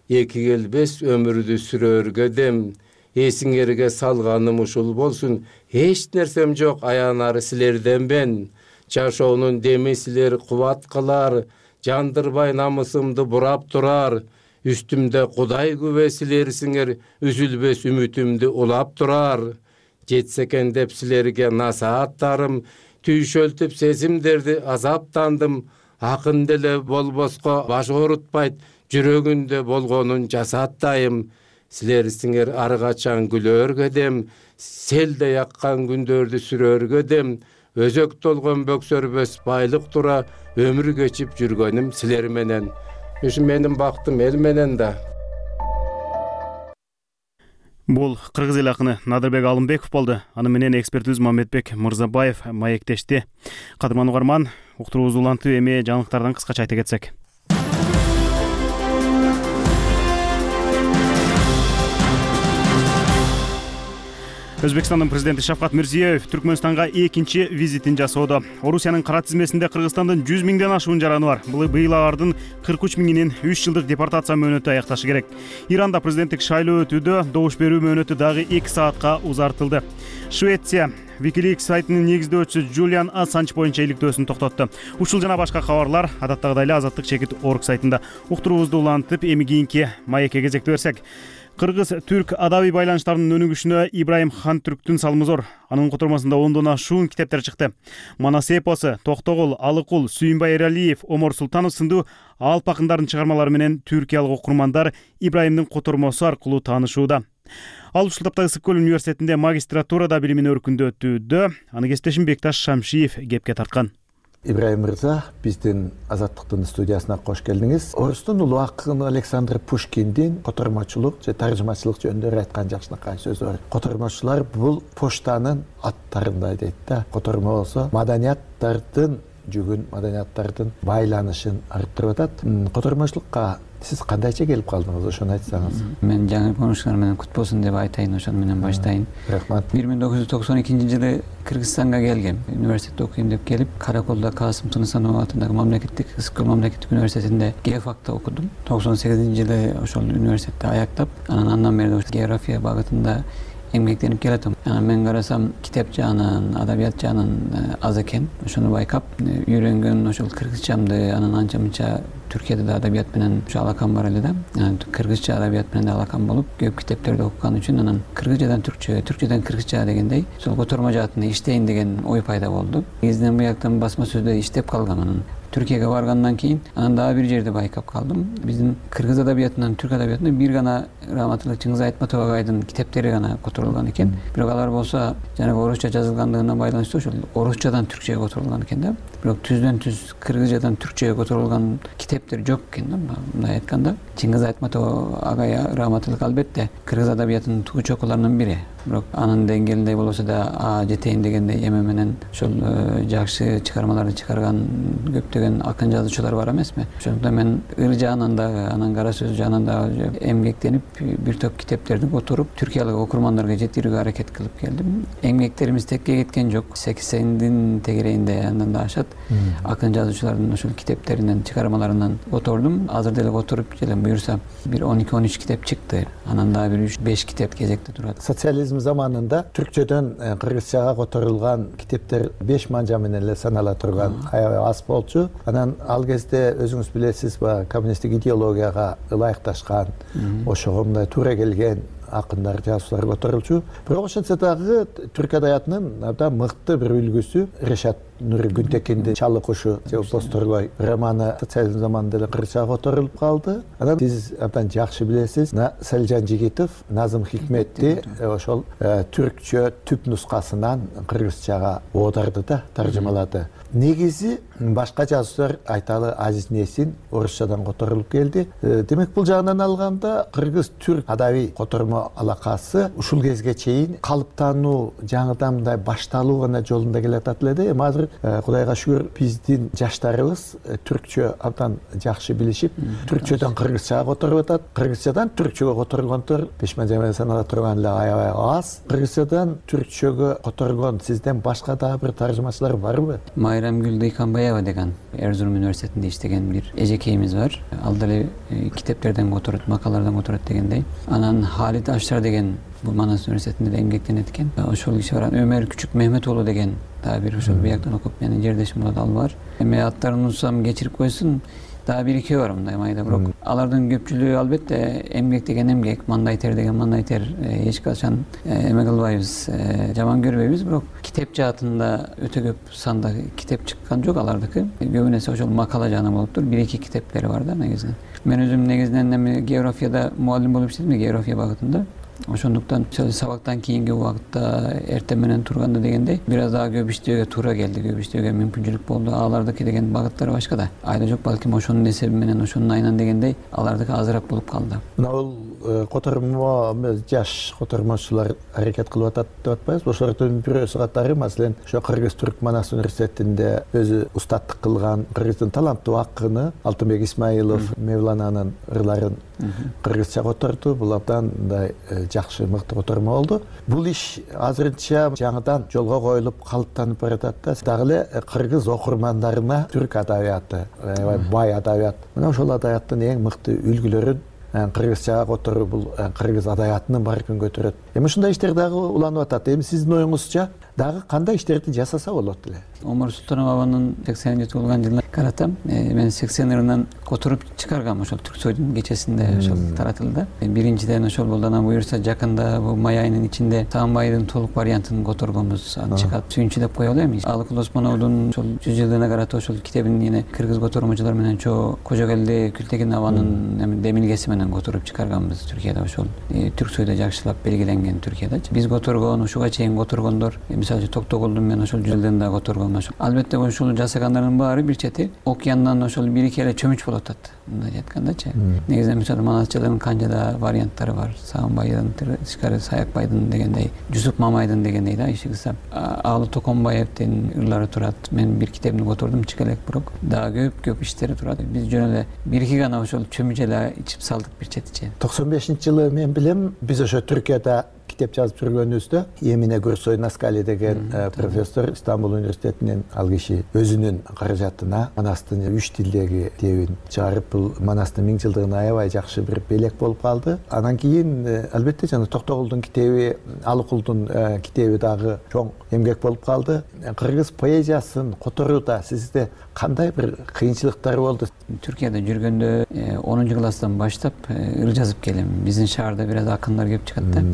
эки келбес өмүрдү сүрөөргө дем. Эсиңерге салганым ушул болсун, эч нерсем жок, аянары силерден мен. Жашоонун деми силер кубат кылар, жандырбай намысымды бурап турар. Үстүмдө Кудай күбө силерсиңер, үзүлбөс үмүтүмдү улап турар. Жетсе экен деп силерге насааттарым, түйшөлтүп сезимдерди азаптандым. Акын деле болбоско баш оорутпайт, жүрөгүндө болгонун жасаттайм. Силерсиңер ар качан күлөөргө дем, селде яккан күндөрдү сүрөөргө дем. Өзөк толгон бөксөрбөс байлык тура, өмүр кечип жүргөнүм силер менен. Ушу менин бактым эл менен да. Бул кыргыз эл акыны Надырбек Алымбеков болду. Аны менен экспертибиз Маматбек Мырзабаев маектешти. Кадырман угарман, уктуруубузду улантып эми жаңылыктардан кыскача айта кетсек. Өзбекстандын президенти Шавкат Мирзиёев Түркмөнстанга экинчи визитин жасоодо. Орусиянын кара тизмесинде Кыргызстандын 100 миңден ашуун жараны бар. Быйыл алардын 43 миңинин 3 жылдык депортация мөөнөтү аякташы керек. Иранда президенттик шайлоо өтүүдө добуш берүү мөөнөтү дагы 2 саатка узартылды. Швеция Wikileaks сайтынын негиздөөчүсү Julian Assange боюнча иликтөөсүн токтотту. Ушул жана башка кабарлар адаттагыдай эле Азаттык чекит орг сайтында. Уктуруубузду улантып, эми кийинки маекке кезекти берсек. Кыргыз-түрк адабий байланыштардын өнүгүшүнө Ибраим Хантүрктүн салымы зор. Анын котормосунда 10дон ашуун китептер чыкты. Манас эпосу, Токтогул, Алыкул, Сүйүнбай Эралиев, Омор Султанов сындуу алып акындардын чыгармалары менен түркиялык окурмандар Ибраимдин котормосу аркылуу таанышууда. Ал ушул таптагы Ысык-Көл университетинде магистратурада билимин өркүндөтүүдө. Аны кесиптешим Бекташ Шамшиев кепке тарткан. Ибраим мырза, биздин Азаттыктын студиясына кош келдиңиз. Орустун улуу акыны Александр Пушкиндин котормочулук же таржымачылык жөнүндө айткан жакшынакай сөзү бар. Котормочулар бул поштанын аттарындай дейт да. Котормо болсо маданияттардын жүгүн, маданияттардын байланышын арттырып атат. Котормочулукка сиз кандайча келип калдыңыз, ошону айтсаңыз. Мен жаңы конушуңар менен кут болсун деп айтайын, ошону менен баштайын. Рахмат. 1992-жылы Кыргызстанга келгем. Университетте окуйм деп келип, Караколдо Касым Тынысанов атындагы мамлекеттик Ысык-Көл мамлекеттик университетинде геофакта окудум. 98-жылы ошол университетти аяктап, андан бери география багытында эмгектенип келатам. Мен карасам китеп жаанын, адабият жаанын аз экен. Ошону байкап, үйрөнгөн ошол кыргызчамды, анан анча-мынча Түркияда да адабият менен ушу алакам бар эле да. Кыргызча адабият менен да алакам болуп, көп китептерди окуган үчүн анан кыргызчадан түркчө, түркчөдөн кыргызча дегендей, ошол котормо жаатында иштейин деген ой пайда болду. Негизинен буяктан басма сөздө иштеп калгам. Анан Түркияга баргандан кийин анан дагы бир жерде байкап калдым. Биздин кыргыз адабиятынан түрк адабиятына бир гана Раматылык Чыңгыз Айтматов агайдын китептери гана которулган экен. Бирок алар болсо жанагы орусча жазылгандыгына байланыштуу ошол орусчадан түркчөгө которулган экен да. Бирок түздөн түз кыргызчадан түркчөгө которулган китептер жок экен да. Мындай айтканда, Чыңгыз Айтматов агай Раматылык албетте кыргыз адабиятынын тугу чокуларынын бири. Бирок анын деңгээлинде болбосо да жетейин дегендей эме менен ошол жакшы чыгармаларды чыгарган көптөгөн акын жазуучулар бар эмесми? Ошондуктан мен ыр жаанан дагы, анан кара сөз жаанан дагы эмгектенип бир топ китептерди которуп, түркиялык окурмандарга жеткирүүгө аракет кылып келдим. Эмгектерибиз текке кеткен жок. 80-дин тегерегинде андан да ашат. Акын жазуучулардын ошол китептеринен, чыгармаларынан котордум. Азыр деле которуп келем. Буюрса бир 12-13 китеп чыкты. Анан дагы бир 3-5 китеп кезекте турат. Социализм заманында түркчөдөн кыргызчага которулган китептер 5 манжа менен эле санала турган, аябай аз болчу. Анан ал кезде өзүңүз билесиз, коммунисттик идеологияга ылайыкташкан, ошого мындай туура келген акындар, жазуучулар которулчу. Бирок ошентсе дагы түрк адабиятынын абдан мыкты бир үлгүсү Решат Нури Күнтекиндин Чалы кушу же Бозторгой романы социализм заманында эле кыргызчага которулуп калды. Анан сиз абдан жакшы билесиз, Селжан Жигитов Назым Хикметти ошол түркчө түп нускасынан кыргызчага оодарды да, таржымалады. Негизи башка жазуучулар айталы Азиз Несин орусчадан которулуп келди. Демек бул жагынан алганда кыргыз-түрк адабий котормо алакасы ушул кезге чейин калыптануу, жаңыдан мындай башталуу гана жолунда келатат эле да. Эми азыр Кудайга шүгүр биздин жаштарыбыз түркчө абдан жакшы билишип, түркчөдөн кыргызчага которуп атат. Кыргызчадан түркчөгө которулгонтор 5 манжа менен санала турган эле аябай аз. Кыргызчадан түркчөгө которгон сизден башка дагы бир таржымачылар барбы? Майрамгүл Дыйканбаева деген Эрзурум университетинде иштеген бир эжекейибиз бар. Ал деле китептерден которот, макалалардан которот дегендей. Анан Халид Ашшар деген бул Манас университетинде да эмгектенет экен. Ошол киши бар. Өмөр Күчүк Мехмет уулу деген дагы бир ошол бияктан окуп менин жердешим болот, ал бар. Эми аттарын унутсам кечирип койсун. Дагы бир экөө бар мындай майда, бирок алардын көпчүлүгү албетте эмгек деген эмгек, мандай тер деген мандай тер, эч качан эме кылбайбыз, жаман көрбөйбүз, бирок китеп жаатында өтө көп санда китеп чыккан жок алардыкы. Көбүн эсе ошол макала жаана болуптур, 1-2 китептери бар да негизинен. Мен өзүм негизинен эми географияда мугалим болуп иштедим, география багытында. ошондуктан сабактан кийинки убакытта эртең менен турганда дегендей бир аз дагы көп иштөөгө туура келди, көп иштөөгө мүмкүнчүлүк болду. Алардыкы деген багыттары башкада. Айда жок, балким ошонун эсеби менен, ошонун айынан дегендей алардыкы азыраак болуп калды. Мына бул котормо жаш котормочулар аракет кылып атат деп атпайбызбы? Ошолордун бирөөсү катары маселен ошо Кыргыз-Түрк Манас университетинде өзү устаттык кылган Кыргыздын таланттуу акыны Алтынбек Исмаилов Мевлананын ырларын кыргызча которду. Бул абдан мындай жакшы, мыкты котормо болду. Бул иш азырынча жаңыдан жолго коюлуп калыптанып баратат да. Дагы эле кыргыз окурмандарына түрк адабияты, бай адабият. Мына ошол адабияттын эң мыкты үлгүлөрүн кыргызчага которуу бул кыргыз адабиятынын баркын көтөрөт. Эми ушундай иштер дагы уланып атат. Эми сиздин оюңузча дагы кандай иштерди жасаса болот эле? Омар Султанованын 80 туулган жылына карата мен 80 ырынан которуп чыгаргам. Ошол Түрксойдун кечесинде ошол таратылды. Биринчиден ошол болду. Анан буюрса жакында бул май айынын ичинде Саамбайдын толук вариантын которгонбуз. Аны чыгат сүйүнчү деп коелу эми. Алыкул Осмоновдун ошол 100 жылдыгына карата ошол китебин эне кыргыз котормочулар менен Кожогелди Күлтегин абанын демилгеси менен которуп чыгарганбыз Түркияда. Ошол Түрксойдо жакшылап белгиленген Түркиядачы. Биз которгон, ушуга чейин которгондор, мисалы Токтогулдун мен ошол 100 жылдыгында которгон. Албетте ошол жасагандардын баары бир чети океандан ошол бир-эки эле чөмүч болуп атат. Мындай айткандачы. Негизинен мисалы Манасчылардын канчада варианттары бар. Саамбайдын, тышкары Саякбайдын дегендей, Жусуп Мамайдын дегендей да иши кылса. Аалы Токонбаевдин ырлары турат. Мен бир китебин котордум, чекелек бирок. Дагы көп иштери турат. Биз жөн эле бир-эки гана ошол чөмүч эле ичип салдык бир четичи. 95-жылы мен билем, биз ошо Түркияда китеп жазып жүргөнүбүздө Эмине Гурсой Наскали деген профессор Стамбул университетинен ал киши өзүнүн каражатына Манастын 3 тилдеги китебин чыгарып, бул Манастын 1000 жылдыгына аябай жакшы бир белек болуп калды. Анан кийин албетте жана Токтогулдун китеби, Алыкулдун китеби дагы чоң эмгек болуп калды. Кыргыз поэзиясын которууда сизде кандай бир кыйынчылыктар болду? Түркияда жүргөндө 10 класстан баштап ыр жазып келем. Биздин шаарда бир аз акындар келип чыгат да.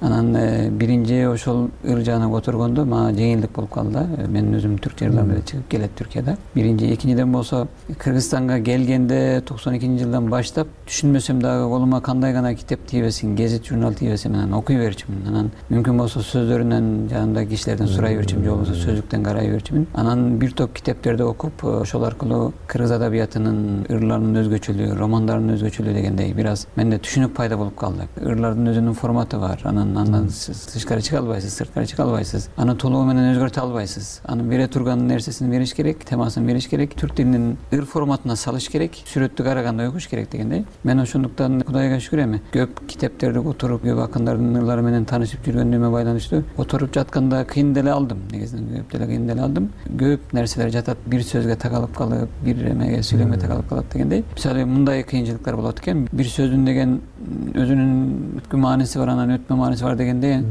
Анан биринчи ошол ыр жагына которгондо мага жеңилдик болуп калды да. Мен өзүм түркчө ырлар менен чыгып келет Түркияда. Биринчи, экинчиден болсо Кыргызстанга келгенде 92-жылдан баштап түшүнмөсөм дагы колума кандай гана китеп тийбесин, гезит журнал тийбесин менен окуй берчүмүн. Анан мүмкүн болсо сөздөрүнөн жанымдагы кишилерден сурай берчүмүн, же болбосо сөздүктөн карай берчүмүн. Анан бир топ китептерди окуп, ошол аркылуу кыргыз адабиятынын ырларынын өзгөчөлүгү, романдарынын өзгөчөлүгү дегендей бир аз менде түшүнүк пайда болуп калды. Ырлардын өзүнүн форматы бар. Андан тышкары чыга албайсыз, сырткары чыга албайсыз. Аны толугу менен өзгөртө албайсыз. Анын бере турган нерсесин бериш керек, темасын бериш керек, түрк тилинин ыр форматына салыш керек, сүрөттү караганда окуш керек дегендей. Мен ошондуктан Кудайга шүгүр эми көп китептерди которуп, көп акындардын ырлары менен таанышып жүргөнүмө байланыштуу которуп жатканда кыйын деле алдым. Негизинен көп деле кыйын деле алдым. Көп нерселер жатат, бир сөзгө такалып калып, бир эмеге сүйлөмгө такалып калат дегендей. Мисалы мындай кыйынчылыктар болот экен. Бир сөздүн деген өзүнүн бүткүл мааниси бар, анан өтмө мааниси бар дегенде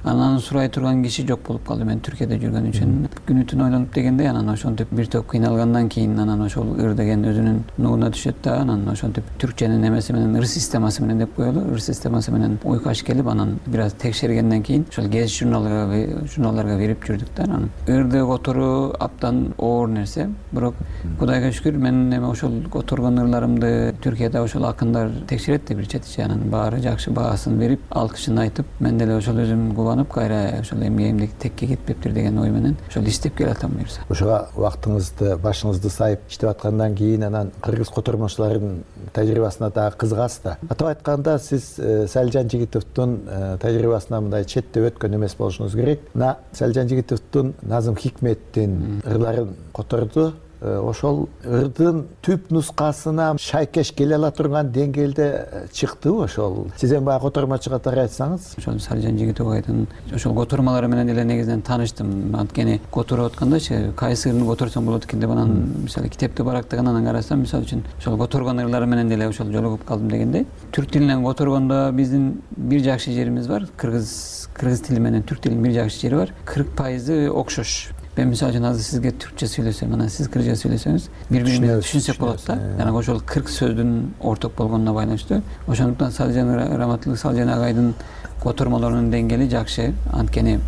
анан сурай турган киши жок болуп калды. Мен Түркияда жүргөн үчүн күнү түн ойлонуп дегенде анан ошентип бир топ кыйналгандан кийин анан ошол ыр деген өзүнүн нугуна түшөт да, анан ошентип түркченин эмеси менен, ыр системасы менен деп коелу, ыр системасы менен уйкаш келип анан бир аз текшергенден кийин ошол гезит журналдарга берип жүрдүк да. Анан ырды которуу абдан оор нерсе, бирок Кудайга шүгүр мен эми ошол которгон ырларымды Түркияда ошол акындар текшерет да бир четичи, анан баары жакшы баасын берип, алкышын айтып, мен деле ошол өзүм кубанып кайра ошол эмгегимди текке кетпептир деген ой менен ошол иштеп келатам буюрса. Ошого вактыңызды, башыңызды сайып иштеп аткандан кийин анан кыргыз котормочуларынын тажрыйбасына дагы кызыгасыз да. Атап айтканда сиз Салжан Жигитовдун тажрыйбасына мындай четтеп өткөн эмес болушуңуз керек. Мына Салжан Жигитовдун Назым Хикметтин ырларын которду. Ошол ырдын түп нускасына шайкеш келе ала турган деңгээлде чыктыбы ошол? Сиз эми баягы котормочу катары айтсаңыз. Ошол Салжан Жигитовдун ошол котормалары менен эле негизинен тааныштым. Анткени которуп аткандачы кайсы ырын которсоң болот экен деп анан мисалы китепти барактагандан карасам, мисалы үчүн ошол которгон ырлары менен деле ошол жолугуп калдым дегендей. Түрк тилинен которгондо биздин бир жакшы жерибиз бар. Кыргыз тили менен түрк тилинин бир жакшы жери бар. 40% окшош. Мен мисалы үчүн азыр сизге түркчө сүйлөсөм, анан сиз кыргызча сүйлөсөңүз, бири-бирибизди түшүнсөк болот да. Жана ошол 40 сөздүн орток болгонуна байланыштуу. Ошондуктан Салжан Раматылык Салжан агайдын котормолорунун деңгээли жакшы, анткени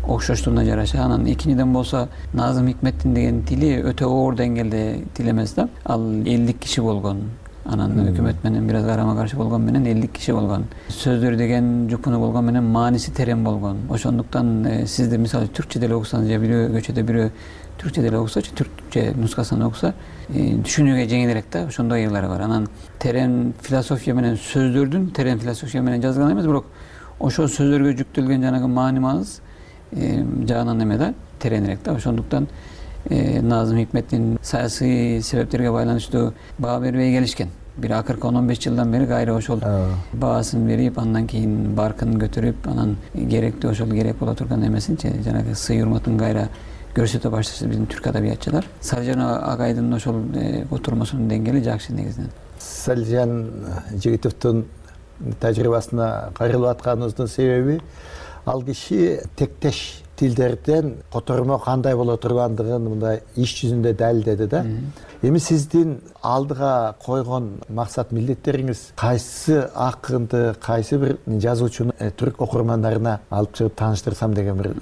окшоштугуна жараша. Анан экинчиден болсо Назым Хикметтин деген тили өтө оор деңгээлде тил эмес да. Ал 50 киши болгон. анан өкмөт менен бир аз карама каршы болгон менен 50 киши болгон. Сөздөр деген жупуну болгон менен мааниси терең болгон. Ошондуктан сизде мисалы түркчө деле окусаңыз же бирөө көчөдө бирөө түркчө деле окусачы, түркчө нускасын окуса, түшүнүүгө жеңилирээк да, ошондой ыйлары бар. Анан терең философия менен сөздөрдүн терең философия менен жазган эмес, бирок ошол сөздөргө жүктөлгөн жанагы маани маңыз жагынан эме да, тереңирээк да. Ошондуктан Назым Хикметтин саясий себептерге байланыштуу баа бербей келишкен. Бир акыркы 10-15 жылдан бери кайра ошол баасын берип, андан кийин баркын көтөрүп, анан керектүү ошол керек боло турган эмесинчи, жанагы сый урматын кайра көрсөтө башташты биздин түрк адабиятчылар. Салижан агайдын ошол отурмосунун деңгээли жакшы негизинен. Салижан Жигитовдун тажрыйбасына кайрылып атканыбыздын себеби ал киши тектеш тилдерден котормо кандай боло тургандыгын мындай иш жүзүндө далилдеди да. Эми сиздин алдыга койгон максат милдеттериңиз кайсы акынды, кайсы бир жазуучуну түрк окурмандарына алып чыгып тааныштырсам деген бир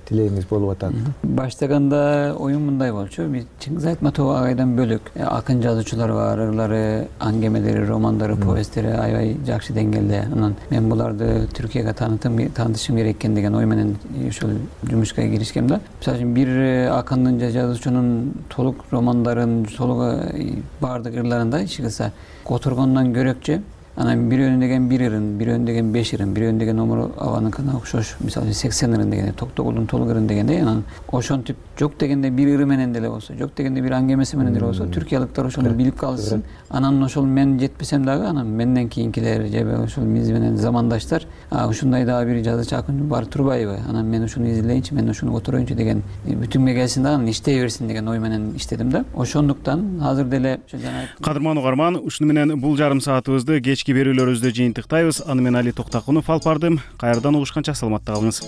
тилегиңиз болуп атат? Баштаганда оюм мындай болчу. Чыңгыз Айтматов агайдан бөлөк акын жазуучулар бар, ырлары, аңгемелери, романдары, повесттери аябай жакшы деңгээлде. Анан мен буларды Түркияга таанытышым керек экен деген ой менен ошол жумушка киришкем да. Мисалы үчүн бир акындын же жазуучунун толук романдарын, толук баардык ырларында иш кылса которгондон көрөкчү, анан бирөөнү деген бир ырын, бирөөнү деген 5 ырын, бирөөнү деген Омар Абаныкына окшош, мисалы 80 ырын дегенде, Токтогулдун толук ырын дегенде, анан ошентип жок дегенде бир ыры менен деле болсо, жок дегенде бир аңгемеси менен деле болсо, түркиялыктар ошону билип калышсын. Анан ошол мен жетпесем дагы, анан менден кийинкилер же ошол биз менен замандаштар, ушундай дагы бир жазуучу акын бар турбайбы? Анан мен ушуну изилейинчи, мен ушуну котороюнчу деген бүтүнгө келсин да, анан иштей берсин деген ой менен иштедим да. Ошондуктан азыр деле Кадырман угарман, ушуну менен бул жарым саатыбызды кечки берүүлөрүбүздө жыйынтыктайбыз. Аны мен Али Токтакунов алып бардым. Кайрадан угушканча саламатта калыңыз.